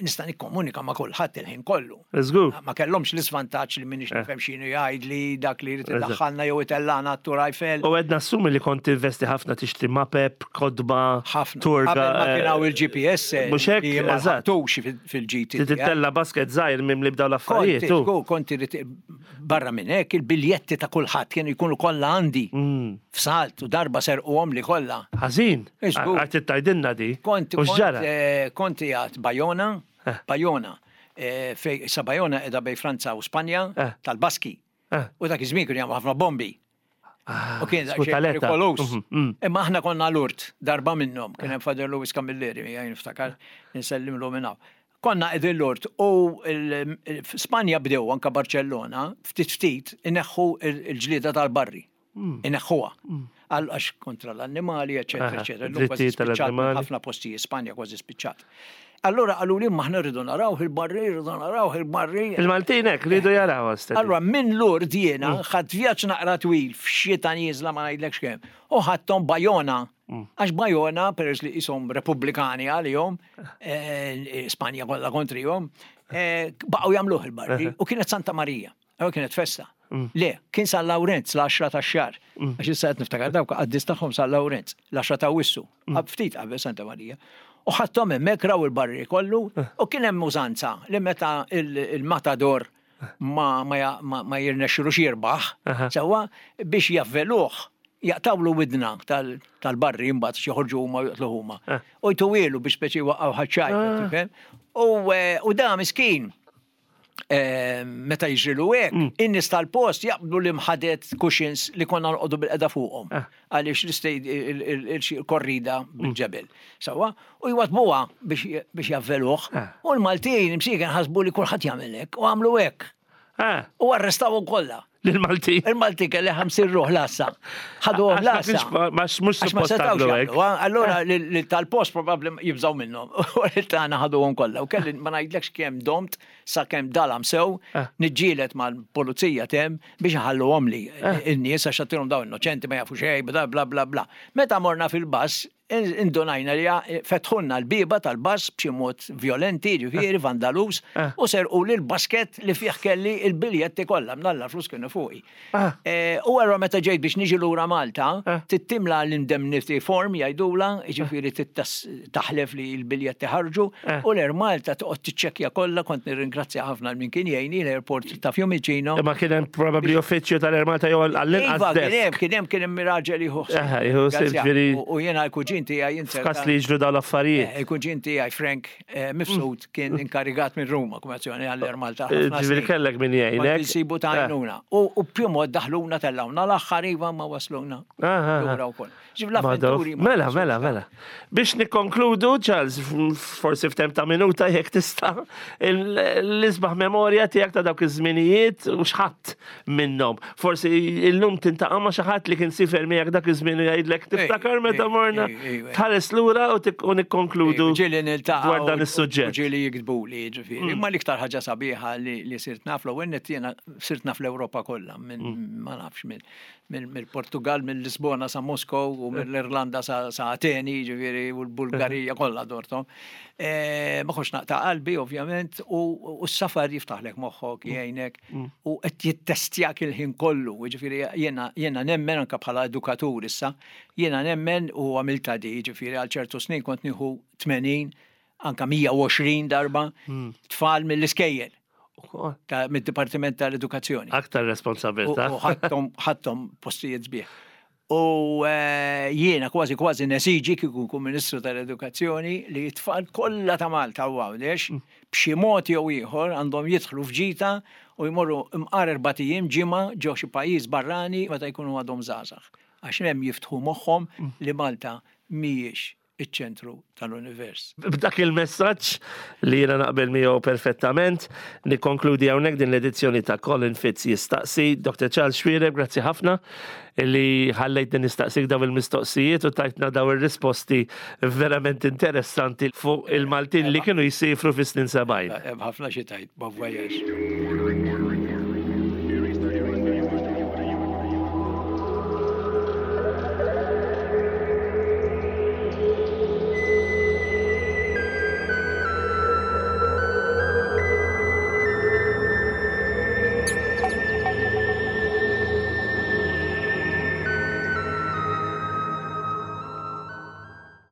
Nista' nikkomunika ma' kulħadd il-ħin kollu. Żgur. Ma kellhomx l-isvantaġġ li m'iniex nifhem x'inhu jgħidli dak li jrid idaħħalna jew itellagħna għat-Tour Eiffel. U qed nassumi li kont tinvesti ħafna tixtri mapep, kotba, Ħafna. tour Qabel ma kien hawn il-GPS Mhux hekk? li ma Eżatt. ħadtux fil-GT. Titella basket żgħir mimli b'dawn Kont, l-affarijiet. u. żgur, kont irid barra minn hekk il-biljetti ta' kulħadd kienu jkunu kollha għandi. F'salt u darba serquhom li kollha. Ħażin. Żgur. Għad trid tgħidilna di. Kont U x'ġara? kont qiegħed Bajona, Bajona, fej sa Bajona qiegħda bejn Franza u Spanja tal-Baski. U dak iż-żmien kienu jagħmlu ħafna bombi. U kien daqsxejn perikoluż. Imma aħna konna l-urt darba minnhom, kien hemm Father Louis Camilleri miegħi niftakar, insellimlu minn hawn. Konna qegħdin l-urt u Spanja bdew anke Barċellona ftit ftit ineħħu l-ġlieda tal-barri. Ineħħuha. Għax kontra l-annimali, eċetera, eċetera. Illum kważi spiċċat minn ħafna postijiet, Spanja kważi spiċċat. Allura qalu li aħna rridu naraw il-barri, rridu naraw il-barri. Il-Maltin hekk rridu jaraw stess. Allura minn Lourdes jiena ħadt vjaġġ naqra twil f'xita nieżla ma ngħidlekx kemm. U ħadthom Bajona. Għax Bajona, peress li qishom Repubblikani għalihom, Spanja kollha kontrihom, baqgħu jagħmluh il-barri u kienet Santa Marija. Allura kienet festa. Le, kien San Lawrenz l-10 tax-xahar. Għax issa qed niftakar dawk qaddis tagħhom San Lawrenz, l-10 ta' Awwissu, ftit qabel Santa Marija. U ħadthom hemmhekk raw il-barri kollu u kien hemm użanza li meta il-matador ma ma jirnexxilux jirbaħ, sewwa biex javveluh jaqtawlu widna tal-barri imbagħad xi joħorġu huma u joqtluh huma. U jtuwielu biex speċi jwaqqgħu ħaċ-ċajt, tifhem? U da miskin meta jiġrilu hekk, in-nies tal-post jaqbdu l-imħadet cushions li konna noqogħdu bil-qeda fuqhom. Għaliex l-korrida bil-ġebel. Sewwa, u jwadbuha biex javveluh. U l-Maltin imsieken ħasbu li kulħadd jagħmel hekk u għamlu hekk. U arrestawhom kollha. L-Malti. Il-Malti kelli 50 ruħ l-għassa. Ħaduhom l-għassa. Ma mhux suppost tagħmlu hekk. Allura li tal-post probabbli jibżgħu minnhom. U li tagħna ħaduhom kollha. U kelli ma ngħidlekx kemm domt sakemm dalam sew niġġieled mal-pulizija tem biex iħalluhom li in-nies għax għattilhom dawn innoċenti ma jafu xejn bla bla bla bla. Meta morna fil-bus. Indunajna li fetħulna l-bieba tal-bus b'xi mod vjolenti, ġifieri vandalus, u serquli l-basket li fih kelli l-biljetti kollha, mnalla l-flus kienu fuqi. U allura meta ġejt biex niġi lura Malta, trid timla l-indemnity form jgħidulha, jiġifieri trid taħlef li l-biljetti ħarġu, u l-Air Malta toqgħod tiċċekkja kollha, kont nirringrazzja ħafna lil min kien jgħinni, l-airport ta' Fiumicino. Imma kien hemm probabbli uffiċċju tal-Air Malta jew għall-inqas Iva, kien hemm, kien hemm, kien hemm raġel jieħu ħsieb. Eħe, jieħu ħsieb ġifieri. U jiena l-kuġin tiegħi inzerta. F'każ li jiġru dawn l-affarijiet. Eh, il-kuġin tiegħi Frank eh, Mifsud kien inkarigat minn Ruma kumazzjoni għall-Air Malta. Ġifieri kellek min jgħinek. Insibu ta' għajnuna. U b'xi mod daħluna tellgħuna l-aħħar iva ma wasluna. Lura wkoll. Mela, mela, mela. Biex nikkonkludu, Charles, forsi f'temp ta' minuta jekk tista' l-isbaħ memorja tiegħek ta' dawk iż-żminijiet u x'ħadd minnhom. Forsi illum tintaqa' ma' xi ħadd li kien sifer miegħek dak iż-żmien u jgħidlek tiftakar meta morna tħares lura u nikkonkludu dwar dan is-suġġett. Ġieli jiktbuli, ġifieri. Mm. Imma l-iktar ħaġa sabiħa li sirt naf l-ewwel jiena sirt naf l-Ewropa kollha minn mm. ma nafx minn mill-Portugal, mill-Lisbona sa Moskow u mill-Irlanda sa Ateni, ġifieri, u l-Bulgarija kollha dortom. E, ma kontx naqta' qalbi, ovvjament, u s-safar jiftaħlek moħħok, mm. jgħinek, mm. u qed jittestjak il-ħin kollu, ġifieri jiena nemmen anke bħala edukatur issa, jiena nemmen u għamilta di, ġifieri għal ċertu snin kont nieħu 80 anka 120 darba mm. tfal mill-iskejjel. Mid-Dipartiment tal-Edukazzjoni. Aktar responsabilità. U ħadthom postijiet sbieħ. U eh, jiena kważi kważi nesiġi kieku nkun Ministru tal-Edukazzjoni li t-tfal kollha ta' Malta u Għawdex mm. b'xi mod jew ieħor għandhom jidħlu f'ġita u jmorru imqar erbat ijiem ġimgħa ġo xi pajjiż barrani meta jkunu għadhom żgħażagħ. Għax hemm jiftħu moħħhom mm. li Malta mhijiex iċ-ċentru tal-univers. B'dak il-messaġġ li jiena naqbel miegħu perfettament, nikkonkludi hawnhekk din l-edizzjoni ta' Colin Fitz jistaqsi. Dr. Charles Xuereb, grazzi ħafna li ħallejtni nistaqsik daw il-mistoqsijiet u tajtna daw ir-risposti verament interessanti fuq il-Maltin li kienu jsifru fis-snin 70. Hemm ħafna xi tgħid, bon voyage.